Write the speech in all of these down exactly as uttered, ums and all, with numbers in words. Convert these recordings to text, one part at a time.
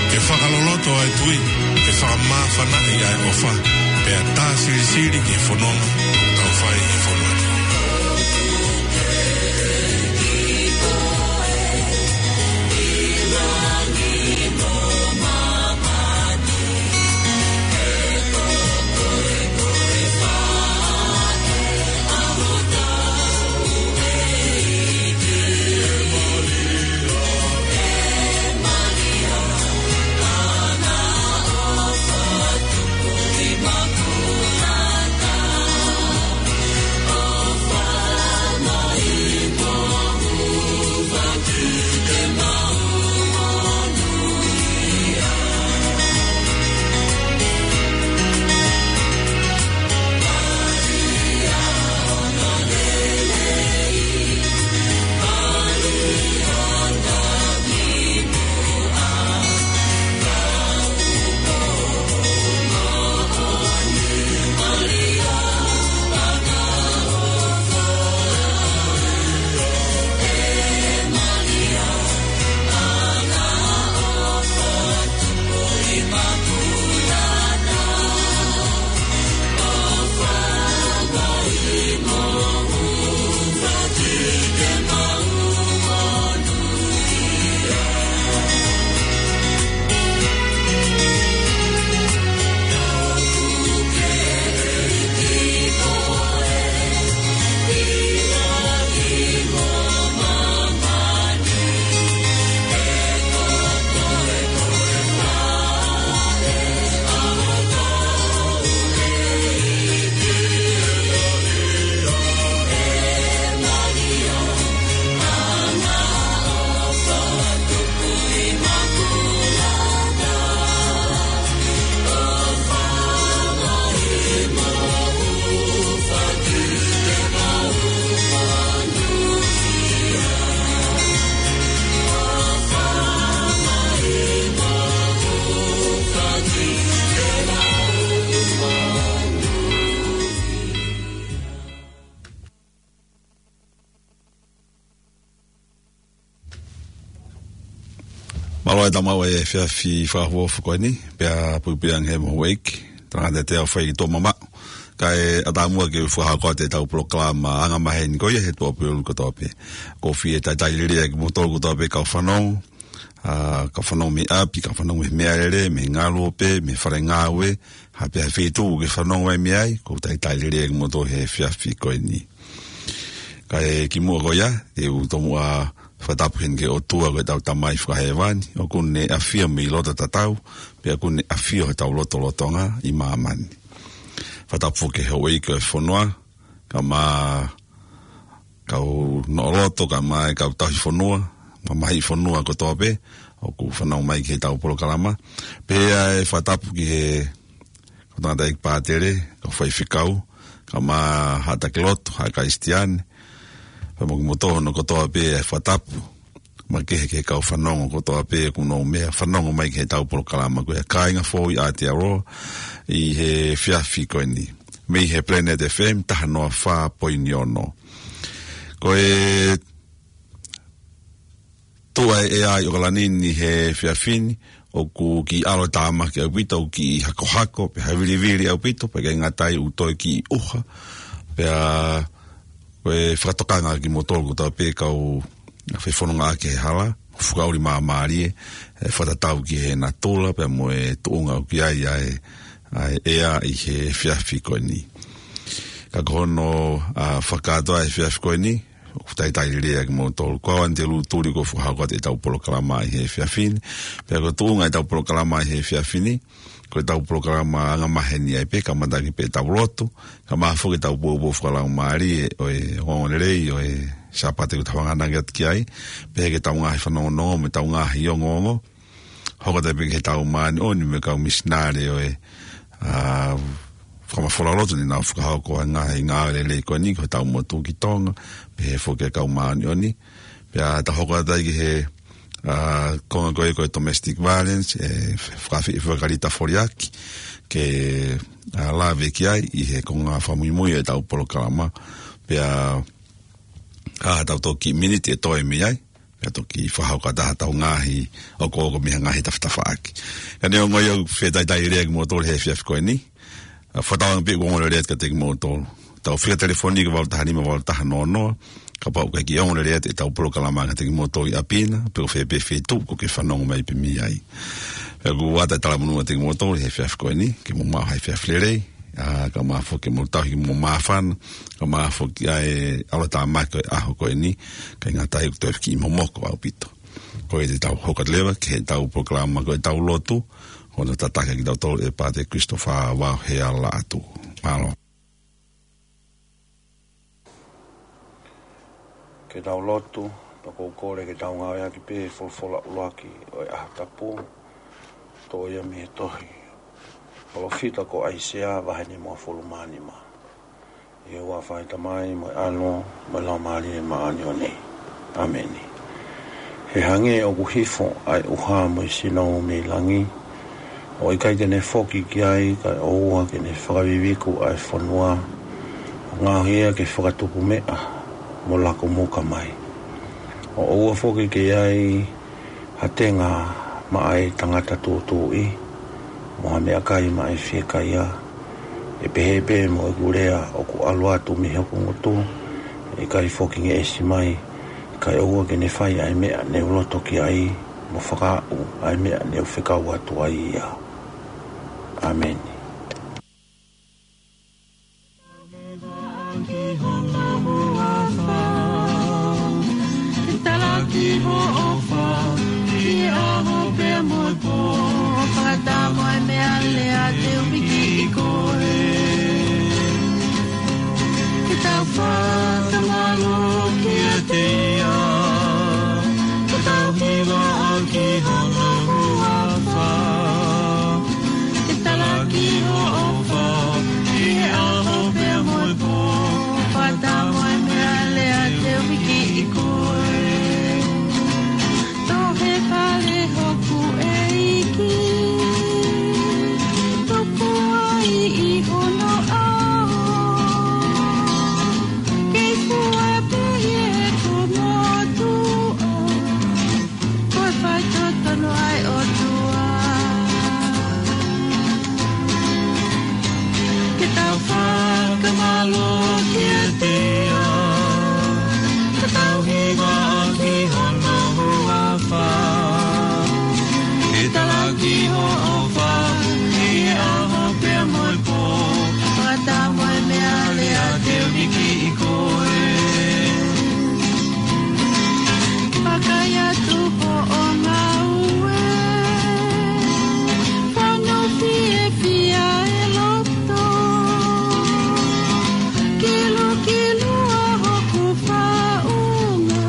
Ke fakaloloto ʻa e tui, ke fakamāfanaʻi ʻa e ʻofa, pea tā silisili ki he fononga ʻoku tau fai ʻi he fonua ni. Mālō e tau maʻu e efiafi fakaʻofoʻofa ko eni, pea puipuiange he mo houʻeiki, tangata te au fai ki tō mamaʻo. Kae ʻatā muʻa ke u fakahoko atu e tau polokalama anga maheni ko ia he tuʻapulelulu kotoa pē. ʻOku ou fie talitali lelei kimoutolu kotoa pē kau fanongo, ʻa, kau fanongo mei ʻapi, kau fanongo mei he meʻalele, mei he ngaluope, mei he fale ngāue, ha pē ha feituʻu ke fanongo mai mei ai, ʻoku ou talitali lelei kimoutolu he efiafi ko eni. Kae kimuʻa ko ia, te u tomuʻa fakatapu heni ki he ʻOtua ko e tau Tamai fakahēvani, ʻoku ne ʻafio mei loto tatau, pea ʻoku ne ʻafio he tau lotolotonga ʻi māmani. Fakatapu ki he houʻeiki ʻo e fonua, kae ʻumaʻā kau noʻoloto, kae ʻumaʻā e kau tauhi fonua, mamahiʻi fonua kotoa pē, ʻoku fanongo mai ki he tau polokalama. Pea ʻe fakatapu ki he kau tangataʻeiki pātele, kau faifekau, kae ʻumaʻā haʻa taki lotu, haʻa Kalisitiane, pea mo kimoutolu hono kotoa pē e fakatapu makehe ki he kau fanongo kotoa pē ʻoku nau meʻa fanongo mai ki he tau polokalama ko ia, kāinga foʻou ʻi Aotearoa ʻi he efiafi ko eni. Mei he Planet F M taha noa fā poini ono. Ko e tuʻa e ʻea ʻi ʻOkalani ni he efiafi ni, ʻoku kiʻi ʻalotāmaki ʻaupito, ʻoku kiʻi hakohako, pea havilivili ʻaupito, pea ʻikai ngata ai ʻoku toe kiʻi ʻuha, pea ko e fakatokanga kimoutolu kotoa pē kau fai fononga ʻaki he hala, fakaʻuli māmālie, ʻe fakatatau ki he natula, pea mo e tuʻunga ʻoku ʻi ai ʻa e, ʻa e ʻea ʻi he efiafi ko eni. Ka ko hono, ʻa, fakakātoa e efiafi ko eni, ʻoku ou talitali lelei kimoutolu. Ko au Anitelū Tuli ʻoku ou fakahoko atu e tau polokalama ʻi he efiafi ni. Pea ko e tuʻunga e tau polokalama ʻi he efiafi ni, ko e tau polokalama anga maheni ai pē, kamata ʻaki pē tau lotu, kae ʻumaʻā foki e tau poupou fakalaumālie ʻo e ongoongolelei ʻo e Sāpate ʻoku tau hanganaki atu ki ai, pehē ki he tau ngaahi fanongonongo mo e tau ngaahi ongoongo. Hoko atu ai pē ki he tau māʻoniʻoni mo e kau misinale ʻo e, ʻa, fakamafola lotu ne nau fakahoko ʻa e ngaahi ngāue lelei ko eni ki hotau motu ki Tonga, pehē foki ki he kau māʻoniʻoni. Pea tau hoko atu ai ki he, ʻa, konga ko ē ko e domestic violence, ʻe fakafi-, fakalita foliaki, ke, ʻa, lave ki ai ʻi he konga fakamuimui e tau polokalama. Pea, ʻa, tau toki miniti ʻe toe mei ai, Pea toki fakahoko atu ʻetau ngaahi ʻokoʻoko mei he ngaahi tafatafaʻaki. Ka neongo ia, ʻoku fetaitai lelei kimoutolu he efiafi ko eni. ʻA, fakatauange pē ʻoku ongo lelei atu kiate kimoutolu. Tau fika telefoni ko e valu taha nima valu taha noa noa. Kapau ʻoku ʻikai ke ongo lelei atu ʻetau polokalama kiate kimoutolu ʻi ʻapi na, pe ko fē pē feituʻu ʻoku ke fanongo mai pē mei ai. Pea ʻoku ʻoatu e talamonū kiate kimoutolu he efiafi ko eni, ke mou maʻu ha efiafi lelei. ʻA, kae ʻumaʻā foki ke mou tauhi ke mou māfana, kae ʻumaʻā foki ʻa e ʻalotāmaki ʻo e ʻaho ko eni, ʻikai ngata ai ʻoku toe kiʻi momoko ʻaupito. Ko ia te tau hoko atu leva ki heʻetau polokalama ko ʻetau lotu, hono tataki kitautolu ʻe Pātele Christopher Vauhea Laʻatū. Mālō. Ke tau lotu, pea ʻoku ou kole ke tau ngāueʻaki pē folofola ʻuluaki ʻo e ʻaho tapu, toʻo ia mei he tohi ʻa e palōfita ko ʻAisea vahe nimangofulu mā nima. ʻI he huafa ʻo e Tamai mo e ʻAlo mo e Laumālie Māʻoniʻoni. ʻĀmeni. He hangē ʻoku hifo ʻa e ʻuha mo e sinou mei langi, ʻo ʻikai te ne foki ki ai, kae ʻoua ke ne fakaviviku ʻa e fonua, ʻo ngaohi ia ke fakatupu meʻa mo lako muka mai. ʻO ʻoua foki ke ʻi ai ha tenga maʻa e tangata tūtuuʻi, mo ha meʻakai maʻa e fiekaia. ʻE pehē pē mo ʻeku lea ʻoku ʻalu atu mei hoku ngutu, ʻe ʻikai foki ngeʻesi mai, kae ʻoua ke ne fai ʻa e meʻa ne u loto ki ai, mo fakaaʻu ʻa e meʻa ne u fekau atu ai ia. ʻĀmeni. Ke talaki hoʻo ʻofa, ʻi he ʻaho pea mo e pō, fakataha mo e meʻalea te u piki ʻi koe. Ke tau fakamālō kiate ia, ke tau hiva ʻaki hono huafa. Ke talaki hoʻo ʻofa, ʻi he ʻaho pea mo e pō, fakataha mo e meʻalea te u piki ʻi koe. Tohi fale hoku ʻEiki, tupu ai ʻi hono ʻao. Kei fua pē ʻi heʻeku motuʻa, ko e faitotonu ʻa e ʻOtua. Ke tau fakamālō kiate ia, ke tau hiva ʻaki hono huafa. Ke talaki hoʻo ʻofa, ʻi he ʻaho pea mo e pō, fakataha mo e meʻalea te u piki ʻi koe. Vakai atu hoʻo ngāue, fano fiefia e loto, kilukilu ʻa hoku faʻunga,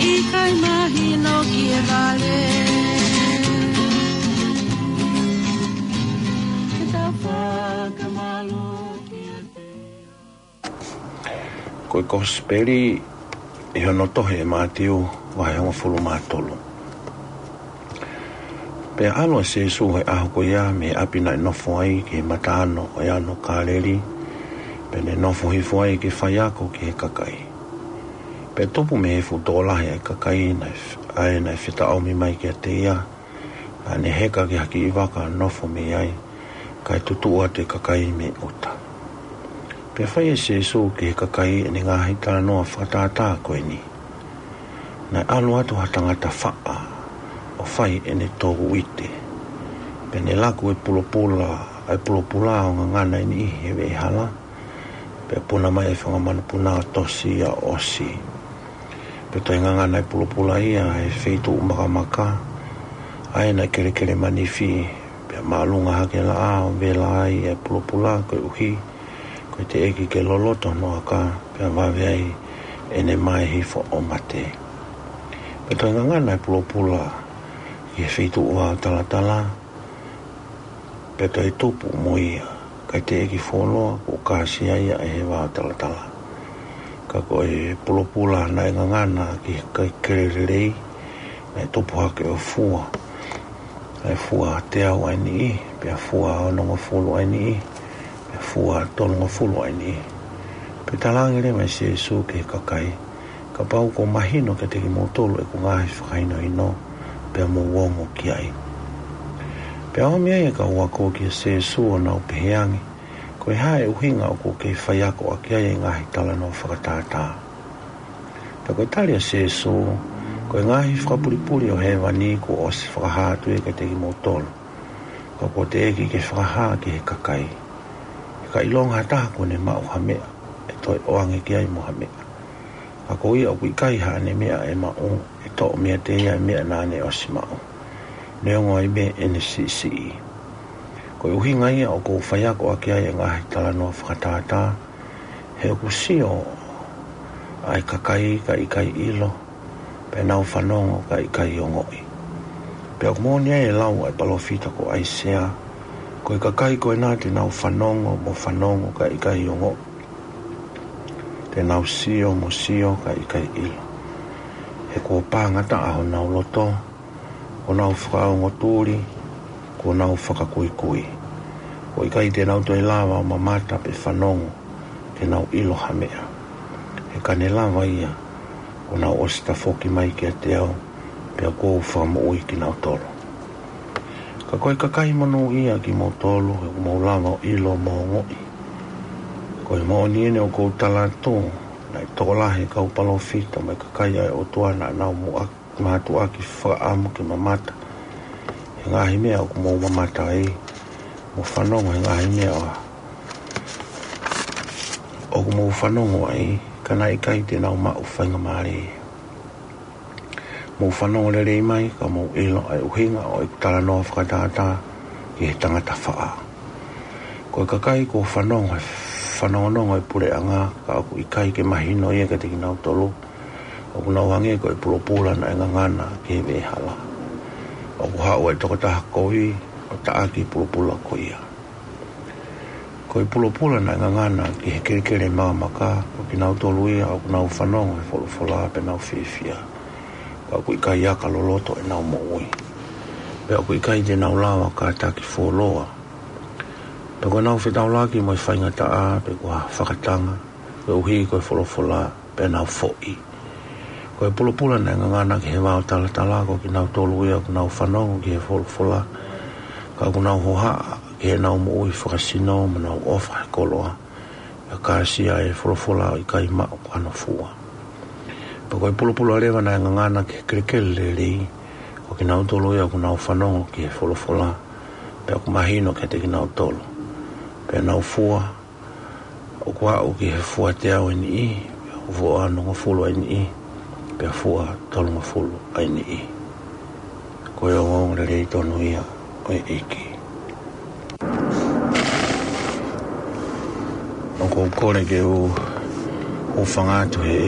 ʻikai mahino ki he vale. Ke tau fakamālō kiate ia. Ko e Kosipeli ʻi hono tohi ʻe Mātiu, vahe hongofulu mā tolu. Pea ʻalu ʻa Sīsū he ʻaho ko ia mei he ʻapi naʻe nofo ai ki he mataʻanga ʻo e ʻAno Kāleli, pea ne nofo hifo ai ke faiako ki he kakai. Pea tupu mei he fuʻu tokolahi ʻa e kakai naʻe f-, ʻa ē naʻe fetaʻomi mai kiate ia, ʻa ʻene heka ki ha kiʻi vaka ʻo nofo mei ai, kae tutuʻu atu e kakai mei ʻuta. Pea fai ʻe Sīsū ki he kakai ʻene ngaahi talanoa fakatātā ko eni: Naʻe ʻalu atu ha tangata faʻa ʻo fai ʻene tō uite. Pea ne laku e pulopula, ʻa e pulopula ʻo ngangana ʻe niʻihi he veʻehala, pea puna mai e fanga manupuna ʻo tosi ia ʻo ʻosi. Pea toe ngangana e pulopula ia he feituʻu makamaka, ʻa ē naʻe kelekele manifi, pea māʻolunga hake e laʻā ʻo vela ai e pulopula koeʻuhi ko e teʻeki ke loloto hono aka, pea vave ai ʻene mae hifo ʻo mate. Pea toe ngangana e pulopula ki he feituʻu vao talatala, pea toe tupu mo ia, kae teʻeki fuoloa kuo kāsia ia ʻe he vao talatala. Ka ko e pulopula naʻe ngangana ki he kakai kelekele lelei, naʻe tupu hake ʻo fua, ʻa e fua teau ʻa e niʻihi, pea fua onongofulu ʻa e niʻihi, pea fua tolungofulu ʻa e niʻihi. Pea talaange leva ʻe Sīsū ki he kakai, kapau kuo mahino kiate kimoutolu ʻeku ngaahi fakahinohino, pea mou ongo ki ai. Pea ʻomi ai e kau ako kia Sēsū ʻo nau pehē ange, Ko e hā e ʻuhinga ʻoku ke faiako ʻaki ai e ngaahi talanoa fakatātā? Pea ko e tali ʻa Sēsū, Ko e ngaahi fakapulipuli ʻo hēvani kuo ʻosi fakahā atu ia kiate kimoutolu, ka kuo teʻeki ke fakahā ki he kakai. He ka ʻilonga ha taha kuo ne maʻu ha meʻa, ʻe toe ʻoange ki ai mo ha meʻa. Ka ko ia ʻoku ʻikai haʻane meʻa ʻe maʻu, ʻe toʻo meiate ia e meʻa naʻa ne ʻosi maʻu, neongo ai pē ʻene siʻisiʻi. Ko e ʻuhinga ia ʻoku ou faiako ʻaki ai e ngaahi talanoa fakatātā, he ʻoku sio ʻa e kakai kae ʻikai ʻilo, pea nau fanongo kae ʻikai ongoʻi. Pea ʻoku moʻoni ai e lau ʻa e palōfita ko ʻAisea, Ko e kakai ko ena te nau fanongo mo fanongo kae ʻikai ongoʻi, te nau sio mo sio kae ʻikai ʻilo. He kuo pangataʻa honau loto, kuo nau fakaongo tuli, kuo nau fakakuikui. Kuo ʻikai te nau toe lava ʻo mamata pe fanongo, ke nau ʻilo ha meʻa. He ka ne lava ia, kuo nau ʻosi tafoki mai kiate au, pea kuo u fakamoʻui kinautolu. Ka ko e kakai monūʻia kimoutolu, he ʻoku mou lava ʻo ʻilo mo ongoʻi. Ko e moʻoni eni ʻoku ou tala atu, naʻe tokolahi e kau palōfita mo e kakai ʻa e ʻOtua naʻa nau muʻaki, mātuʻaki fakaʻamu ke mamata he ngaahi meʻa ʻoku mou mamata ai, mo fanongo he ngaahi meʻa ʻoku mou fanongo ai, ka naʻe ʻikai te nau maʻu faingamālie. Mou fanongo lelei mai, ka mou ʻilo ʻa e ʻuhinga ʻo ʻeku talanoa fakatātā ki he tangata faʻa. Ko e kakai kuo fanongo he fanongonongo ʻo e puleʻanga, ka ʻoku ʻikai ke mahino ia kiate kinautolu, ʻoku nau hangē ko e pulopula naʻe ngangana ki he veʻehala. ʻOku haʻu e tokotaha kovi ʻo taʻaki e pulopula ko ia. Ko e pulopula naʻe ngangana ki he kelekele makamaka, ko kinautolu ia ʻoku nau fanongo he folofola pea nau fiefia, ka ʻoku ʻikai aka loloto ʻenau moʻui. Pea ʻoku ʻikai te nau lava ʻo kātaki fuoloa. Pea ko ʻenau fetaulaki mo e faingataʻa, pe ko ha fakatanga, koeʻuhi ko e folofola, pea nau foʻi. Ko e pulopula naʻe ngangana ki he vao talatala, ko kinautolu ia ʻoku nau fanongo ki he folofola, ka ʻoku nau hohaʻa ki heʻenau moʻui fakasino, mo nau ʻofa he koloa, pea kāsia e folofola ʻo ʻikai maʻu hano fua. Pea ko e pulopula leva naʻe ngangana ki he kelekele lelei, ko kinautolu ia ʻoku nau fanongo ki he folofola, pea ʻoku mahino kiate kinautolu, pea nau fua, ʻoku aʻu ki he fua teau ʻa e niʻihi, pea ʻoku fua onongofulu ʻa e niʻihi, pea fua tolungofulu ʻa e niʻihi. Ko e ongoongolelei tonu ia ʻo e ʻEiki. ʻOku ou kole ke u, u hūfanga atu he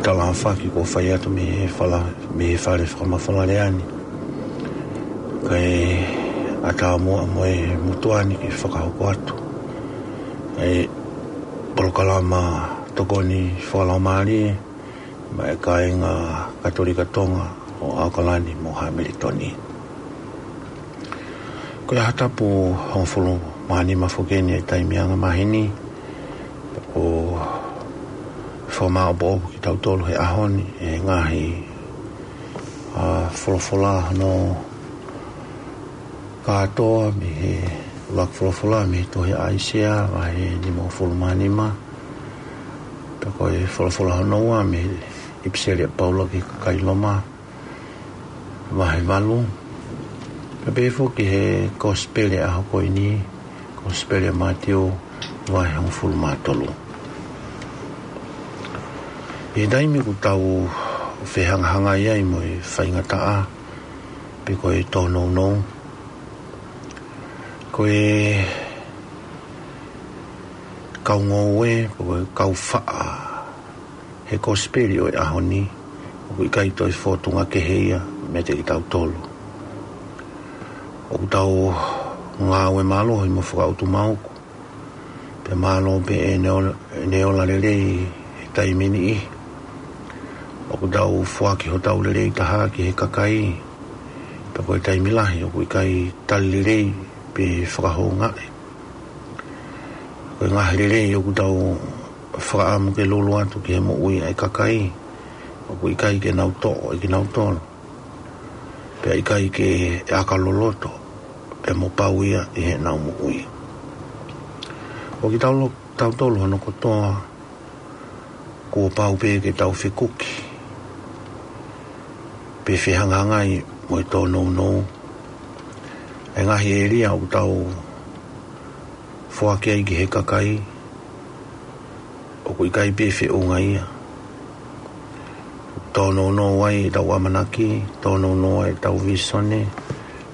talafaki kuo fai atu mei he fala, mei he fale fakamafola lea ni. Kae ʻatā muʻa mo e motuʻa ni ke fakahoko atu ʻa e polokalama tokoni fakalaumālie maʻa e kāinga Katolika Tonga ʻo ʻAokalani mo Hamilitoni. Ko e ʻaho tapu hongofulu mā nima foki eni e taimi angamaheni, ʻoku fakamāʻopoʻopo kitautolu he ʻaho ni ʻe he ngaahi, ʻa, folofola hono kātoa mei he ʻuluaki folofola mei he tohi ʻa ʻAisea, vahe nimangofulu mā nima. Pea ko e folofola hono ua mei he ʻipiseli ʻa Paula ki he kakai Loma, vahe valu. Pea pehē foki he kosipeli ʻaho ko eni, kosipeli ʻa Mātiu, vahe hongofulu mā tolu. ʻI he taimi ʻoku tau fehangahangai ai mo e faingataʻa, pe ko e tōnounou, ko e kau ngoue, pe ko e kau faʻa he kosipeli ʻo e ʻaho ni, ʻoku ʻikai toe fōtunga kehe ia meiate kitautolu. ʻOku tau ngāue mālohi mo fakaʻutumauku, pea mālō pē ʻene ola, ʻene ola lelei he taimi niʻihi. ʻOku tau foaki hotau lelei taha ki he kakai, pea ko e taimi lahi ʻoku ʻikai tali lelei pe fakahoungaʻi. Ko e ngaahi lelei ʻoku tau fakaʻamu ke lulu atu ki he moʻui ʻa e kakai, ʻoku ʻikai ke nau toʻo ʻe kinautolu, pea ʻikai ke ʻaka loloto, pea mo pau ia ʻi heʻenau moʻui. Ko kitautolu, tautolu hono kotoa, kuo pau pē ke tau fekuki, pe fehangahangai mo e tōnounou. ʻE ngaahi ʻēlia ʻoku tau foaki ai ki he kakai, ʻoku ʻikai pē feʻunga ia. Tōnounou ai ʻetau ʻamanaki, tōnounou ai ʻetau vīsone,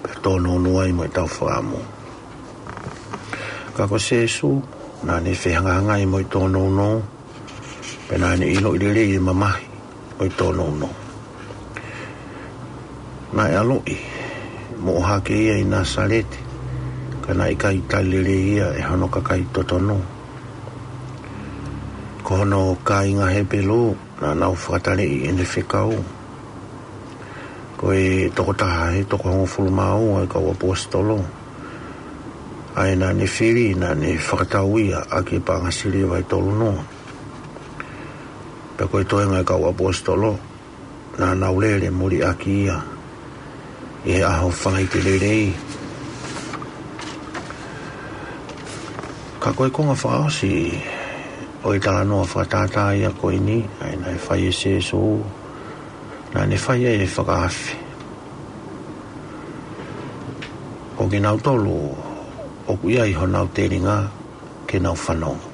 pea tōnounou ai mo ʻetau fakaʻamu. Ka ko Sēsū, naʻa ne fehangahangai mo e tōnounou, pea naʻa ne ʻiloʻi lelei e mamahi ʻo e tōnounou. Naʻe ʻaloʻi mo ʻohake ia ʻi Nāsaleti, ka naʻe ʻikai tali lelei ia ʻe hono kakai totonu. Ko hono kāinga Hepelū, naʻa nau fakataleʻi ʻene fekau. Ko e tokotaha ʻi he toko hongofulu mā ua ʻo e kau ʻaposetolo, ʻa ia naʻa ne fili, naʻa ne fakatau ia ʻaki e paʻanga siliva ʻe tolu noa. Pea ko e toenga ʻo e kau ʻaposetolo, naʻa nau lele muliʻaki ia ʻi he ʻaho fanga ʻite lelei. Ka ko e konga fakaʻosi ʻo e talanoa fakatātā ia ko eni, ʻa ia naʻe fai ʻe Sēsū, naʻa ne fai ai e fakaafe. Ko kinautolu ʻoku ʻi ai honau telinga ke nau fanongo,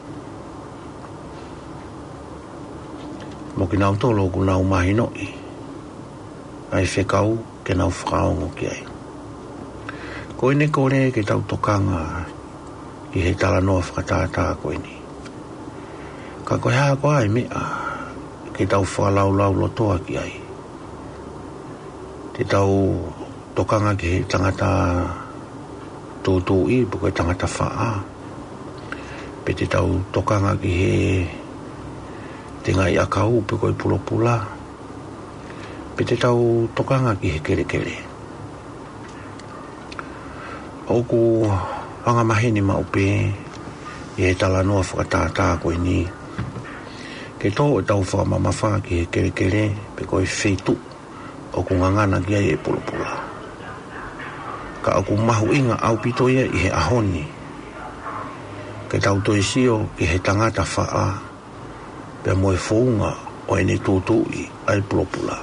mo kinautolu ʻoku nau mahinoʻi ʻa e fekau ke nau fakaongo ki ai. Ko ʻene kole ke tau tokanga ki he talanoa fakatātā ko eni. Ka ko e hā koā e meʻa ke tau fakalaulaulotoa ki ai? Te tau tokanga ki he tangata tūtuuʻi, pe ko e tangata faʻa? Pe te tau tokanga ki he tengaʻi ʻakau, pe ko e pulopula? Pe te tau tokanga ki he kelekele? ʻOku angamaheni maʻu pē ʻi he talanoa fakatātā ko eni ke tō ʻetau fakamamafa ki he kelekele, pe ko e feituʻu ʻoku ngangana ki ai e pulopula. Ka ʻoku mahuʻinga ʻaupito ia ʻi he ʻaho ni ke tau toe sio ki he tangata faʻa, pea mo e founga ʻo ʻene tūtuuʻi ʻa e pulopula.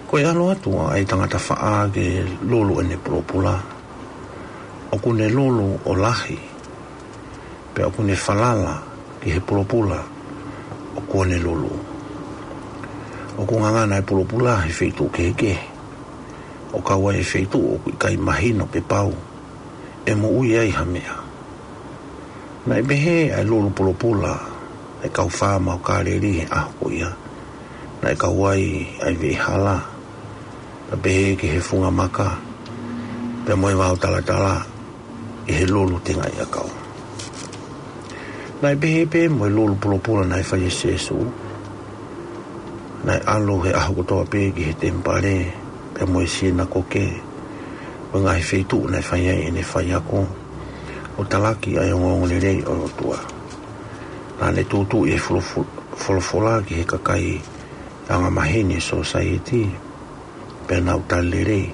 Ko e ʻalu atu ʻa e tangata faʻa ke lulu ʻene pulopula, ʻoku ne lulu ʻo lahi, pea ʻoku ne falala ki he pulopula ʻoku ne lulu. ʻOku ngangana e pulopula he feituʻu kehekehe, ʻo kau ai e feituʻu ʻoku ʻikai mahino pe pau ʻe moʻui ai ha meʻa. Naʻe pehē ʻa e lulu pulopula ʻa e kau faama ʻo Kāleli he ʻaho ko ia. Naʻe kau ai ʻa e veʻehala, pea pehē ki he funga maka, pea mo e vao talatala ʻi he lulu tengaʻi ʻakau. Naʻe pehē pē mo e lulu pulopula naʻe fai ʻe Sēsū. Naʻe ʻalu he ʻaho kotoa pē ki he temipale, pea mo e sinakoke, mo e ngaahi feituʻu naʻe fai ai ʻene faiako, ʻo talaki ʻa e ongoongolelei ʻo e ʻOtua. Naʻa ne tūtuuʻi e folofu-, folofola ki he kakai angamaheni e sōsaieti, pea nau tali lelei.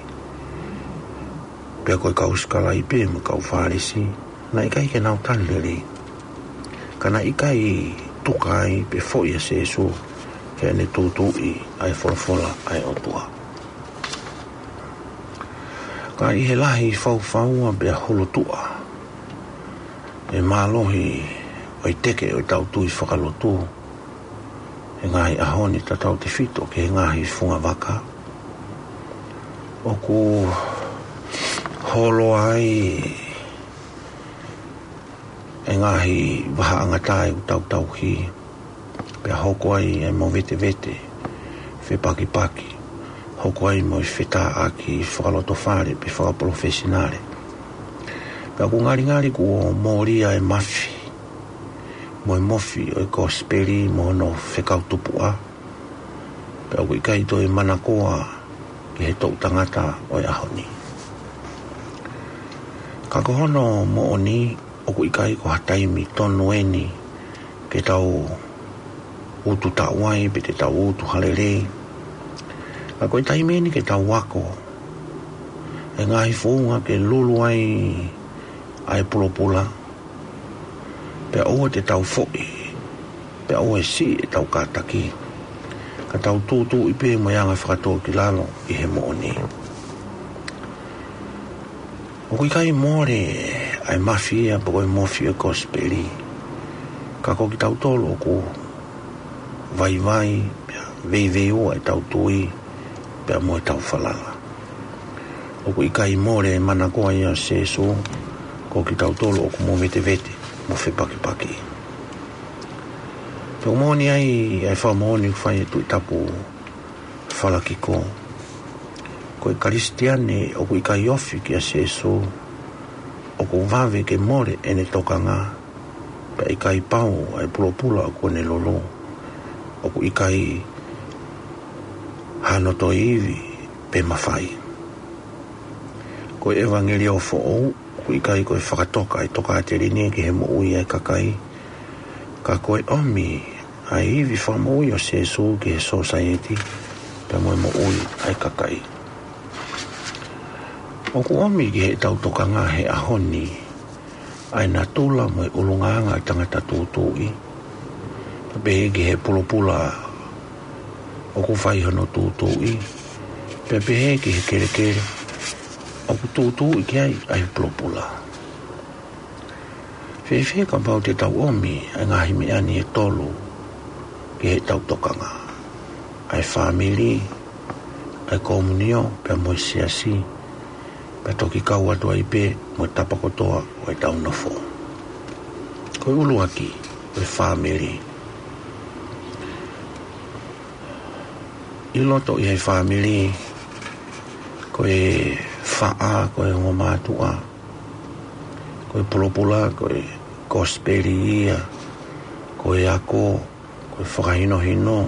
Pea ko e kau sikalaipe mo e kau Fālesi, naʻe ʻikai ke nau tali lelei, ka naʻe ʻikai tuka ai pe foʻi ʻa Sēsū heʻene tūtuuʻi ʻa e folofola ʻa e ʻOtua. Ka ʻi he lahi faufaua pea hulutuʻa e mālohi ʻo e teke ʻo ʻetau tui fakalotu he ngaahi ʻaho ni, tautautefito ki he ngaahi funga vaka, ʻoku holo ai e ngaahi vahaʻangatae ʻoku tau tauhi, pea hoko ai e movetevete, fepakipaki, hoko ai mo e fetāʻaki fakalotofale pe fakapalofesinale. Pea ʻoku ngalingali kuo mōlia e mafi mo e mofi ʻo e kosipeli mo hono fekau tupuʻa, pea ʻoku ʻikai toe manakoa ki he toʻu tangata ʻo e ʻaho ni. Ka ko hono moʻoni, ʻoku ʻikai ko ha taimi tonu eni ke tau utu taʻu ai pe te tau utu ha lelei. Ka ko e taimi eni ke tau ako e ngaahi founga ke lulu ai ʻa e pulopula, pea ʻoua te tau foʻi, pea ʻoua ʻe siʻi ʻetau kātaki, ka tau tūtuuʻi pē mo e anga fakatōkilalo ʻi he moʻoni. ʻOku ʻikai mole ʻa e mafai ia pe ko e mofi ʻo e kosipeli, ka ko kitautolu ʻoku vaivai, pea veiveiua ʻetau tui, pea mo ʻetau falala. ʻOku ʻikai mole e manakoa ia ʻo Sēsū, ko kitautolu ʻoku movetevete mo fepakipaki. Pea ʻoku moʻoni ai ʻa e fakamoʻoni ʻoku fai ʻe he Tuʻi Tapu Falakiko: Ko e Kalisitiane ʻoku ʻikai ofi kia Sēsū, ʻoku vave ke mole ʻene tokanga, pea ʻikai pau ʻa e pulopula ʻoku ne lulu, ʻoku ʻikai hano toe ivi pe mafai. Ko e ʻevangeliō foʻou ʻoku ʻikai ko e fakatoka ʻa e tokāteline ki he moʻui ʻa e kakai, ka ko e ʻomi ʻa e ivi fakamoʻui ʻo Sēsū ki he sōsaieti pea mo e moʻui ʻa e kakai. ʻOku ʻomi ki heʻetau tokanga he ʻaho ni ʻa e natula mo e ʻulungaanga ʻa e tangata tūtuuʻi, pea pehē ki he pulopula ʻoku fai hono tūtuuʻi, pea pehē ki he kelekele ʻoku tūtuuʻi ki ai ʻa e pulopula. Fēfē kapau te tau ʻomi ʻa e ngaahi meʻa ni ʻe tolu ki heʻetau tokanga: ʻa e fāmili, ʻa e komunio, pea mo e siasi, pea toki kau atu ai pē mo e tapa kotoa ʻo ʻetau nofo? Ko e ʻuluaki, ko e fāmili. ʻI loto ʻi he fāmili, ko e faʻa, ko e ongo mātuʻa, ko e pulopula, ko e kosipeli ia, ko e ako, ko e fakahinohino,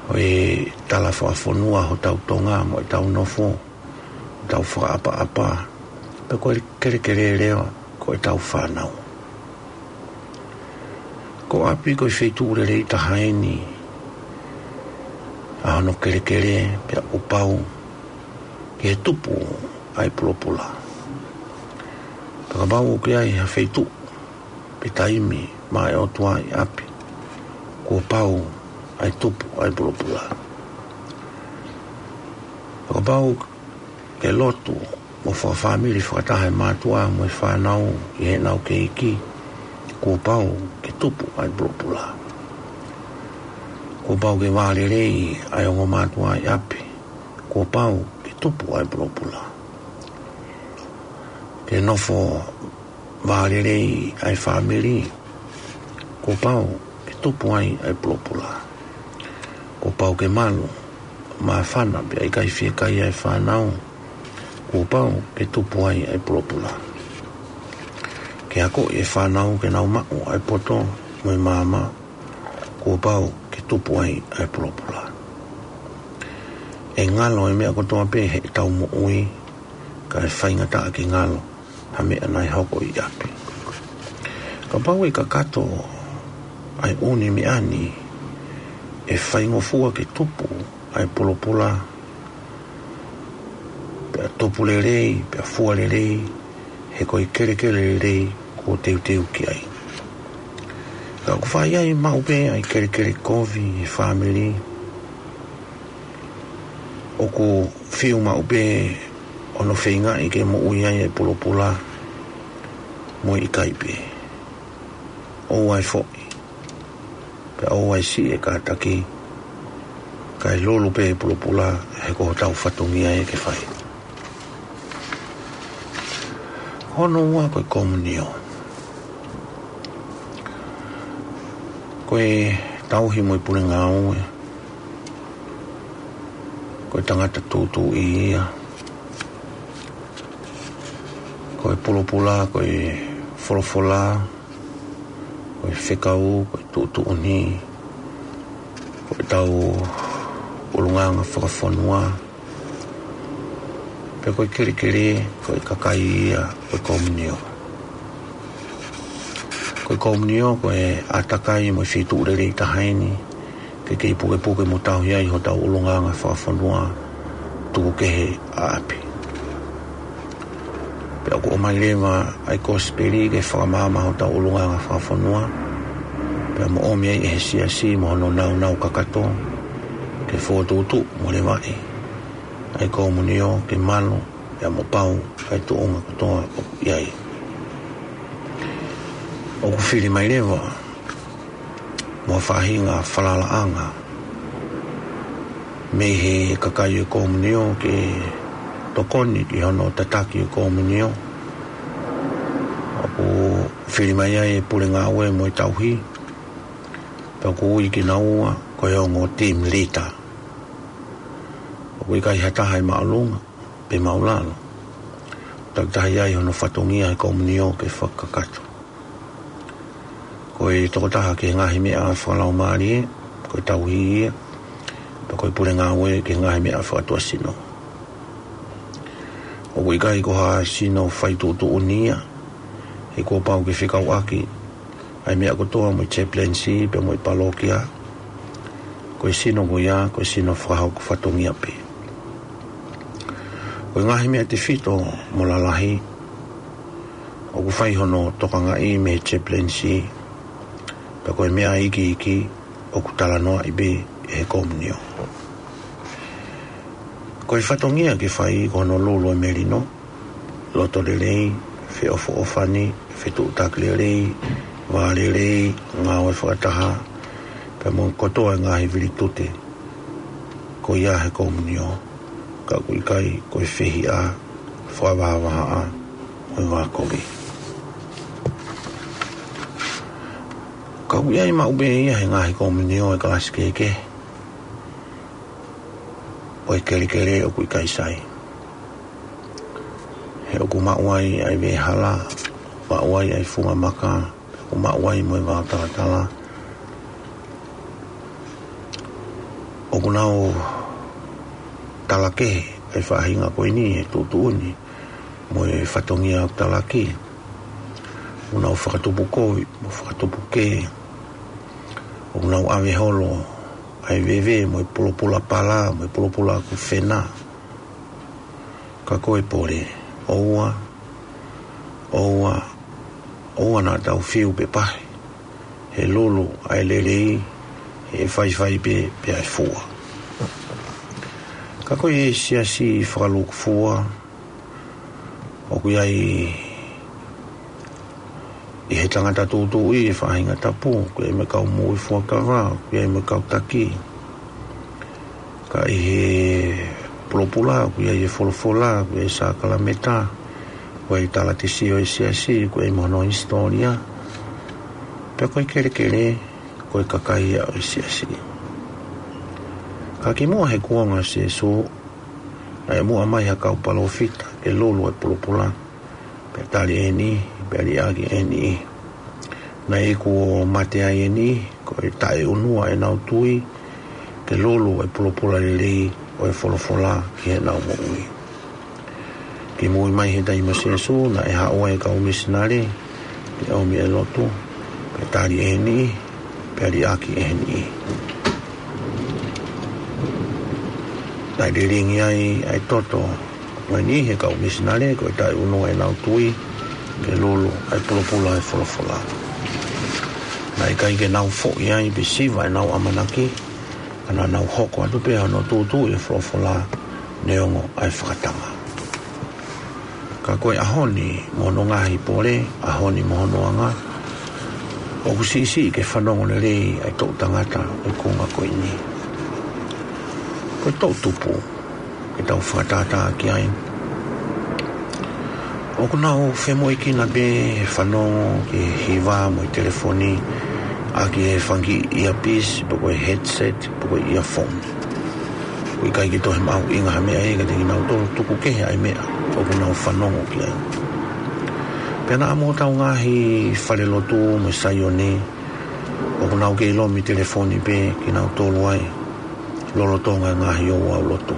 ko e tala fakafonua hotau Tonga mo ʻetau nofo, hotau fakaʻapaʻapa, pea ko e kelekele leva ko ʻetau fānau. Ko ʻapi ko e feituʻu lelei taha eni ʻa hono kelekele, pea kuo pau ke tupu ai pulopula. Pea kapau ʻoku ʻi ai ha feituʻu pe taimi maʻa e ʻOtua ʻi ʻapi, kuo pau ai tupu ai pulopula. Pea kapau ke lotu mo fakafāmili fakataha e mātuʻa mo e fānau ʻi heʻenau kei iiki, kuo pau ke tupu ai pulopula. Kuo pau ke vālelei ai ongo mātuʻa ʻi ʻapi, kuo pau ke tupu ai pulopula. Ke nofo vālelei ai fāmili, kuo pau ke tupu ai ai pulopula. Kuo pau ke malu, māfana pea ʻikai fiekaia e fānau, kuo pau ke tupu ai ai pulopula. Ke akoʻi e fānau ke nau maʻu ai poto mo e maama, kuo pau ke tupu ai ai pulopula. ʻE ngalo e meʻa kotoa pē heʻetau moʻui, ka ʻe faingataʻa ke ngalo ha meʻa naʻe hoko ʻi ʻapi. Kapau ʻe kakato ai ʻū meʻa ni, ʻe faingofua ke tupu ai pulopula, pea tupu lelei, pea fua lelei, he ko e kelekele lelei kuo teuteu ki ai. Ka ʻoku fai ai maʻu pē ai kelekele kovi he fāmili, ʻoku fiu maʻu pē hono feingaʻi ke moʻui ai e pulopula mo e ʻikai pē. ʻOua ʻe foʻi, pea ʻoua ʻe siʻi e kātaki, kae lulu pē e pulopula, he ko hotau fatongia ia ke fai. Hono ua ko e komunio. Ko e tauhi mo e pule ngāue, ko e tangata tūtuuʻi ia. Ko e pulopula, ko e folofola, ko e fekau, ko e tuʻutuʻuni, ko ʻetau ʻulungaanga fakafonua, pea ko e kelekele, ko e kakai ia ʻo e komunio. Komunio ko e ʻātakai mo e feituʻu lelei taha eni ke kei pukepuke mo tauhi ai hotau ʻulungaanga fakafonua tuku kehe ʻa ʻapi. Pea ʻoku ʻomai leva ʻa e kosipeli ke fakamaama hotau ʻulungaanga fakafonua, pea mo ʻomi ai ʻe he siasi mo hono nāunau kakato ke fokotuʻutuʻu mo levaʻi ʻa e komunio ke malu, pea mo pau ʻa e tuʻunga kotoa ʻoku ʻi ai. ʻOku fili mai leva mo ha faʻahinga falalaʻanga mei he kakai ʻo e komunio ke tokoni ki hono tataki ʻo e komunio. ʻOku fili mai ai e pule ngāue mo e tauhi, pea ʻoku ui kinaua ko e ongo team leader. ʻOku ʻikai ha taha ʻi māʻolunga pe māʻulalo. Takitaha ʻi ai hono fatongia he komunio ke fakakakato. Ko e tokotaha ki he ngaahi meʻa fakalaumālie, ko e tauhi ia, pea ko e pule ngāue ki he ngaahi meʻa fakatuʻasino. ʻOku ʻikai ko ha sino faituʻutuʻuni ia, he kuo pau ke fekauʻaki ʻa e meʻa kotoa mo e chaplaincy pea mo e palokia. Ko e sino ko ia, ko e sino fakahoko fatongia pē. Ko e ngaahi meʻa tefito mo lalahi ʻoku fai hono tokangaʻi mei he chaplaincy, pea ko e meʻa iiki ʻoku talanoaʻi pē ʻe he komunio. Ko e fatongia ke fai ko hono lulu ʻo e melino, loto lelei, feʻofoʻofani, fetuʻutaki lelei, vā lelei, ngāue fakataha, pea mo e kotoa e ngaahi vilitute ko ia he komunio, ka ʻoku ʻikai ko e fehiʻa, fakavahavahaʻa, mo e vākovi. Ka ʻoku ʻi ai maʻu pē ia he ngaahi komunio ʻo e kalasi kehekehe, ʻo e kelekele ʻoku ʻikai sai. He ʻoku maʻu ai ʻa e veʻehala, maʻu ai ʻa e funga maka, ʻoku maʻu ai mo e vao talatala. ʻOku nau talakehe ʻa e faʻahinga ko eni he tuʻutuʻuni mo e fatongia ʻoku talaki. ʻOku nau fakatupu kovi mo fakatupu kē. ʻOku nau ʻave holo ʻa e veve mo e pulopula pala mo e pulopula ʻoku fena. Ka ko e pole, ʻoua, ʻoua, ʻoua naʻa tau fiu pe pahi. He lulu ʻa e lelei, he faifai pē, pea ʻe fua. Ka ko e siasi fakalūkufua, ʻoku ʻi ai ʻi he tangata tūtuuʻi e faʻahinga tapu, ʻoku ʻi ai mo e kau moʻui fuakava, ʻoku ʻi ai mo e kau taki. Ka ʻi he pulopula, ʻoku ʻi ai e folofola, ʻoku ʻi ai e sākalamēniti, ʻoku ʻi ai e talatesio ʻo e siasi, ʻoku ʻi ai mo hono hisitōlia. Pea ko e kelekele, ko e kakai ia ʻo e siasi. Ka kimuʻa he kuonga ʻo Sīsū, naʻe muʻa mai ha kau palōfita ke lulu e pulopula, pea tali ʻe he niʻihi, pea liʻaki ʻe he niʻihi. Naʻe iku ʻo mate ai ʻe he niʻihi, ko e taʻeʻunua ʻenau tui ke lulu e pulopula lelei ʻo e folofola ki heʻenau moʻui. Kimui mai he taimi ʻo Sīsū, naʻe haʻu ai e kau misinale ke ʻomi e lotu, pea tali ʻe he niʻihi, pea liʻaki ʻe he niʻihi. Naʻe lilingi ai ʻa e toto ʻo e niʻihi he kau misinale, ko e taʻeʻunua ʻenau tui ke lulu ʻa e pulopula ʻo e folofola. Naʻe ʻikai ke nau foʻi ai pe siva ʻenau ʻamanaki, ka naʻa nau hoko atu pē hono tūtuuʻi e folofola neongo ʻa e fakatanga. Ka ko e ʻaho ni mo hono ngaahi pole, ʻaho ni mo hono anga, ʻoku siʻisiʻi ke fanongo lelei ʻa e toʻu tangata ʻo e kuonga ko eni. Ko e toʻu tupu ke tau fakatātā ki ai. ʻOku nau femoʻuekina pē he fanongo ki he hiva mo e telefoni, ʻaki e fanga kiʻi earpiece, pe ko e headset, pe ko e earphone. ʻOku ʻikai ke toe mahuʻinga ha meʻa ia kiate kinautolu, tuku kehe ʻa e meʻa ʻoku nau fanongo ki ai. Pea naʻa mo hotau ngaahi falelotu mo e Saione, ʻoku nau kei lomi telefoni pē kinautolu ai lolotonga e ngaahi ouau lotu.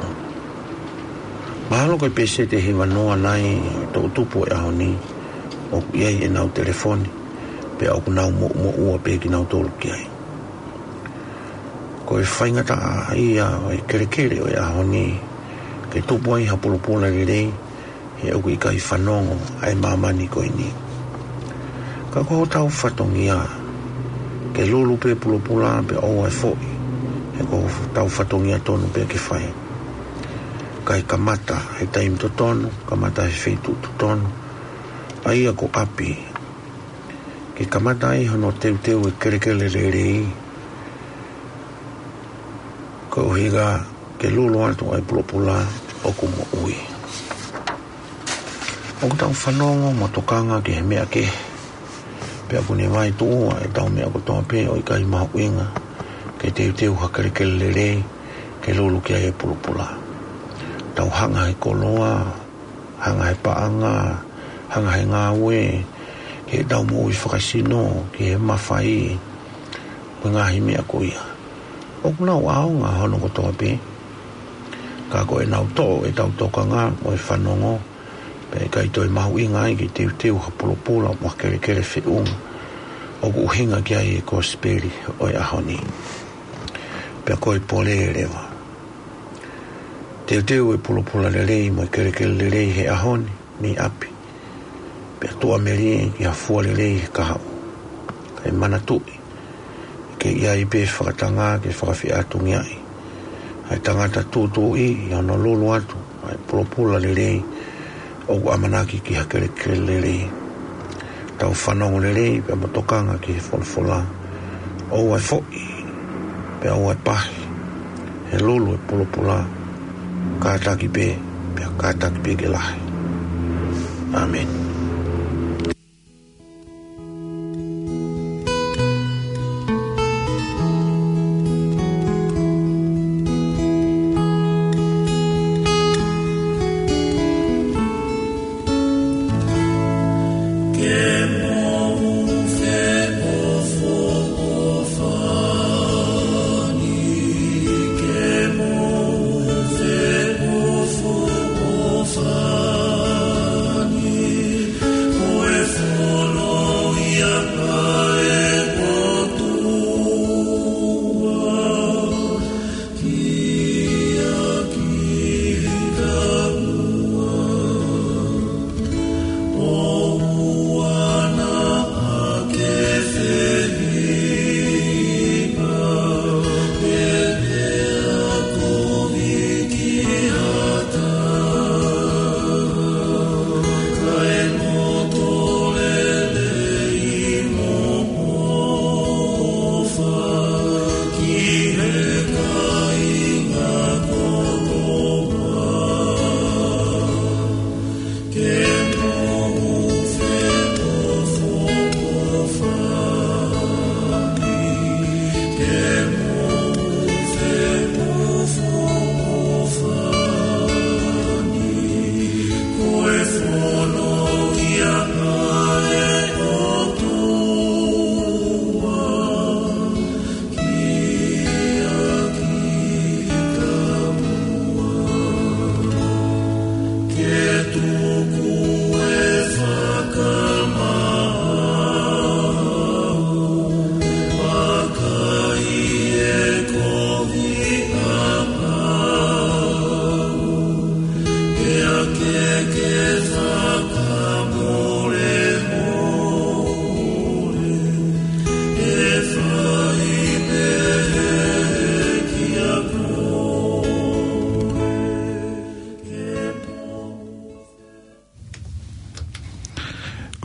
Mahalo ko e peseti ʻe hivanoa nai ʻo e toʻu tupu ʻo e ʻaho ni ʻoku ʻi ai ʻenau telefoni. pea ʻoku nau moʻumoʻua pē kinautolu ki ai. Ko e faingataʻa ia ʻo e kelekele ʻo e ʻaho ni, ke tupu ai ha pulopula lelei, he ʻoku ʻikai fanongo ʻa e māmani ko eni. Ka ko hotau fatongia, ke lulu pē pulopula pea ʻoua ʻe foʻi, he ko hotau fatongia tonu pē ke fai. Kae kamata he taimi totonu, kamata he feituʻu totonu, ʻa ia ko ʻapi, ke kamata ai hono teuteu e kelekele lelei, koeʻuhi ke lulu atu ai pulopula ʻoku moʻui. ʻOku tau fanongo mo tokanga ki he meʻa kehe, pea ʻoku ne vaetuʻua ʻetau meʻa kotoa pē ʻo ʻikai mahuʻinga, ke teuteu ha kelekele lelei, ke lulu ki ai e pulopula. Tau hanga he koloa, hanga he paʻanga, hanga he ngāue, ke tau moʻui fakasino, ki he mafai, mo e ngaahi meʻa ko ia. ʻOku nau ʻaonga hono kotoa pē. Ka ko ʻenau toʻo ʻetau tokanga mo e fanongo, pea ʻikai toe mahuʻinga ai ke teuteu ha pulopula mo ha kelekele feʻunga, ʻoku ʻuhinga ki ai e kosipeli ʻo e ʻaho ni. Pea ko e pole leva. Teuteu e pulopula lelei mo e kelekele lelei he ʻaho ni, mei ʻapi. Pea tuʻamelie ki ha fua lelei he kahaʻu. Kae manatuʻi, ʻikai ʻi ai pē fakatanga ke fakafeʻātungiaʻi ʻa e tangata tūtuuʻi ʻi hono lulu atu ʻa e pulopula lelei, ʻoku ʻamanaki ki ha kelekele lelei. Tau fanongo lelei pea mo tokanga ki he folofola. ʻOua ʻe foʻi, pea ʻoua ʻe pahi, he lulu e pulopula, kātaki pē, pea kātaki pē ke lahi. ʻĀmeni.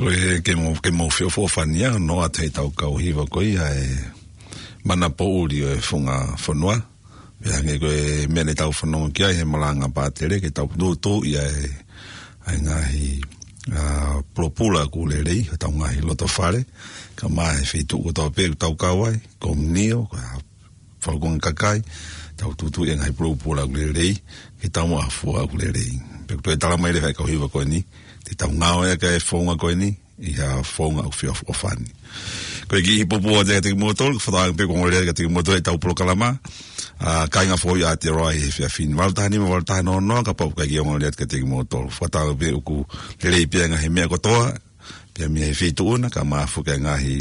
Ko e ke mo, ke mo fio fo fania, no atu heʻetau kau hiva ko ia e mana poʻuli ʻo e funga fonua. Pea hangē ko e meʻa ne tau fanongo ki ai he malanga pātele, ke tau tūtuuʻi ʻa e, ʻa e ngaahi, ā, pulopula ʻoku lelei, ʻi hotau ngaahi loto fale, kae ʻumaʻā e feituʻu kotoa pē ʻoku tau kau ai, kominio, ko e falakanga kakai, tau tūtuuʻi e ngaahi pulopula ʻoku lelei, ke tau maʻu ha fua ʻoku lelei. Pea ʻoku toe talamai leva ʻe he kau hiva ko eni, te tau ngāueʻaki e founga ko eni, ʻi ha founga ʻoku feʻofoʻofani. Ko e kiʻi pōpoaki atu kiate kimoutolu, ko e fakatauange pē kuo ongo lelei kiate kimoutolu ʻetau polokalama, ā, Kāinga Foʻou ʻi Aotearoa he efiafi ni. Valu taha nima, valu taha noa noa, kapau ʻoku ʻikai ke ongo lelei atu kiate kimoutolu. Fakatauange pē ʻoku lelei pē ʻa e ngaahi meʻa kotoa, Pea mei he feituʻu na ka mafoki ʻa e ngaahi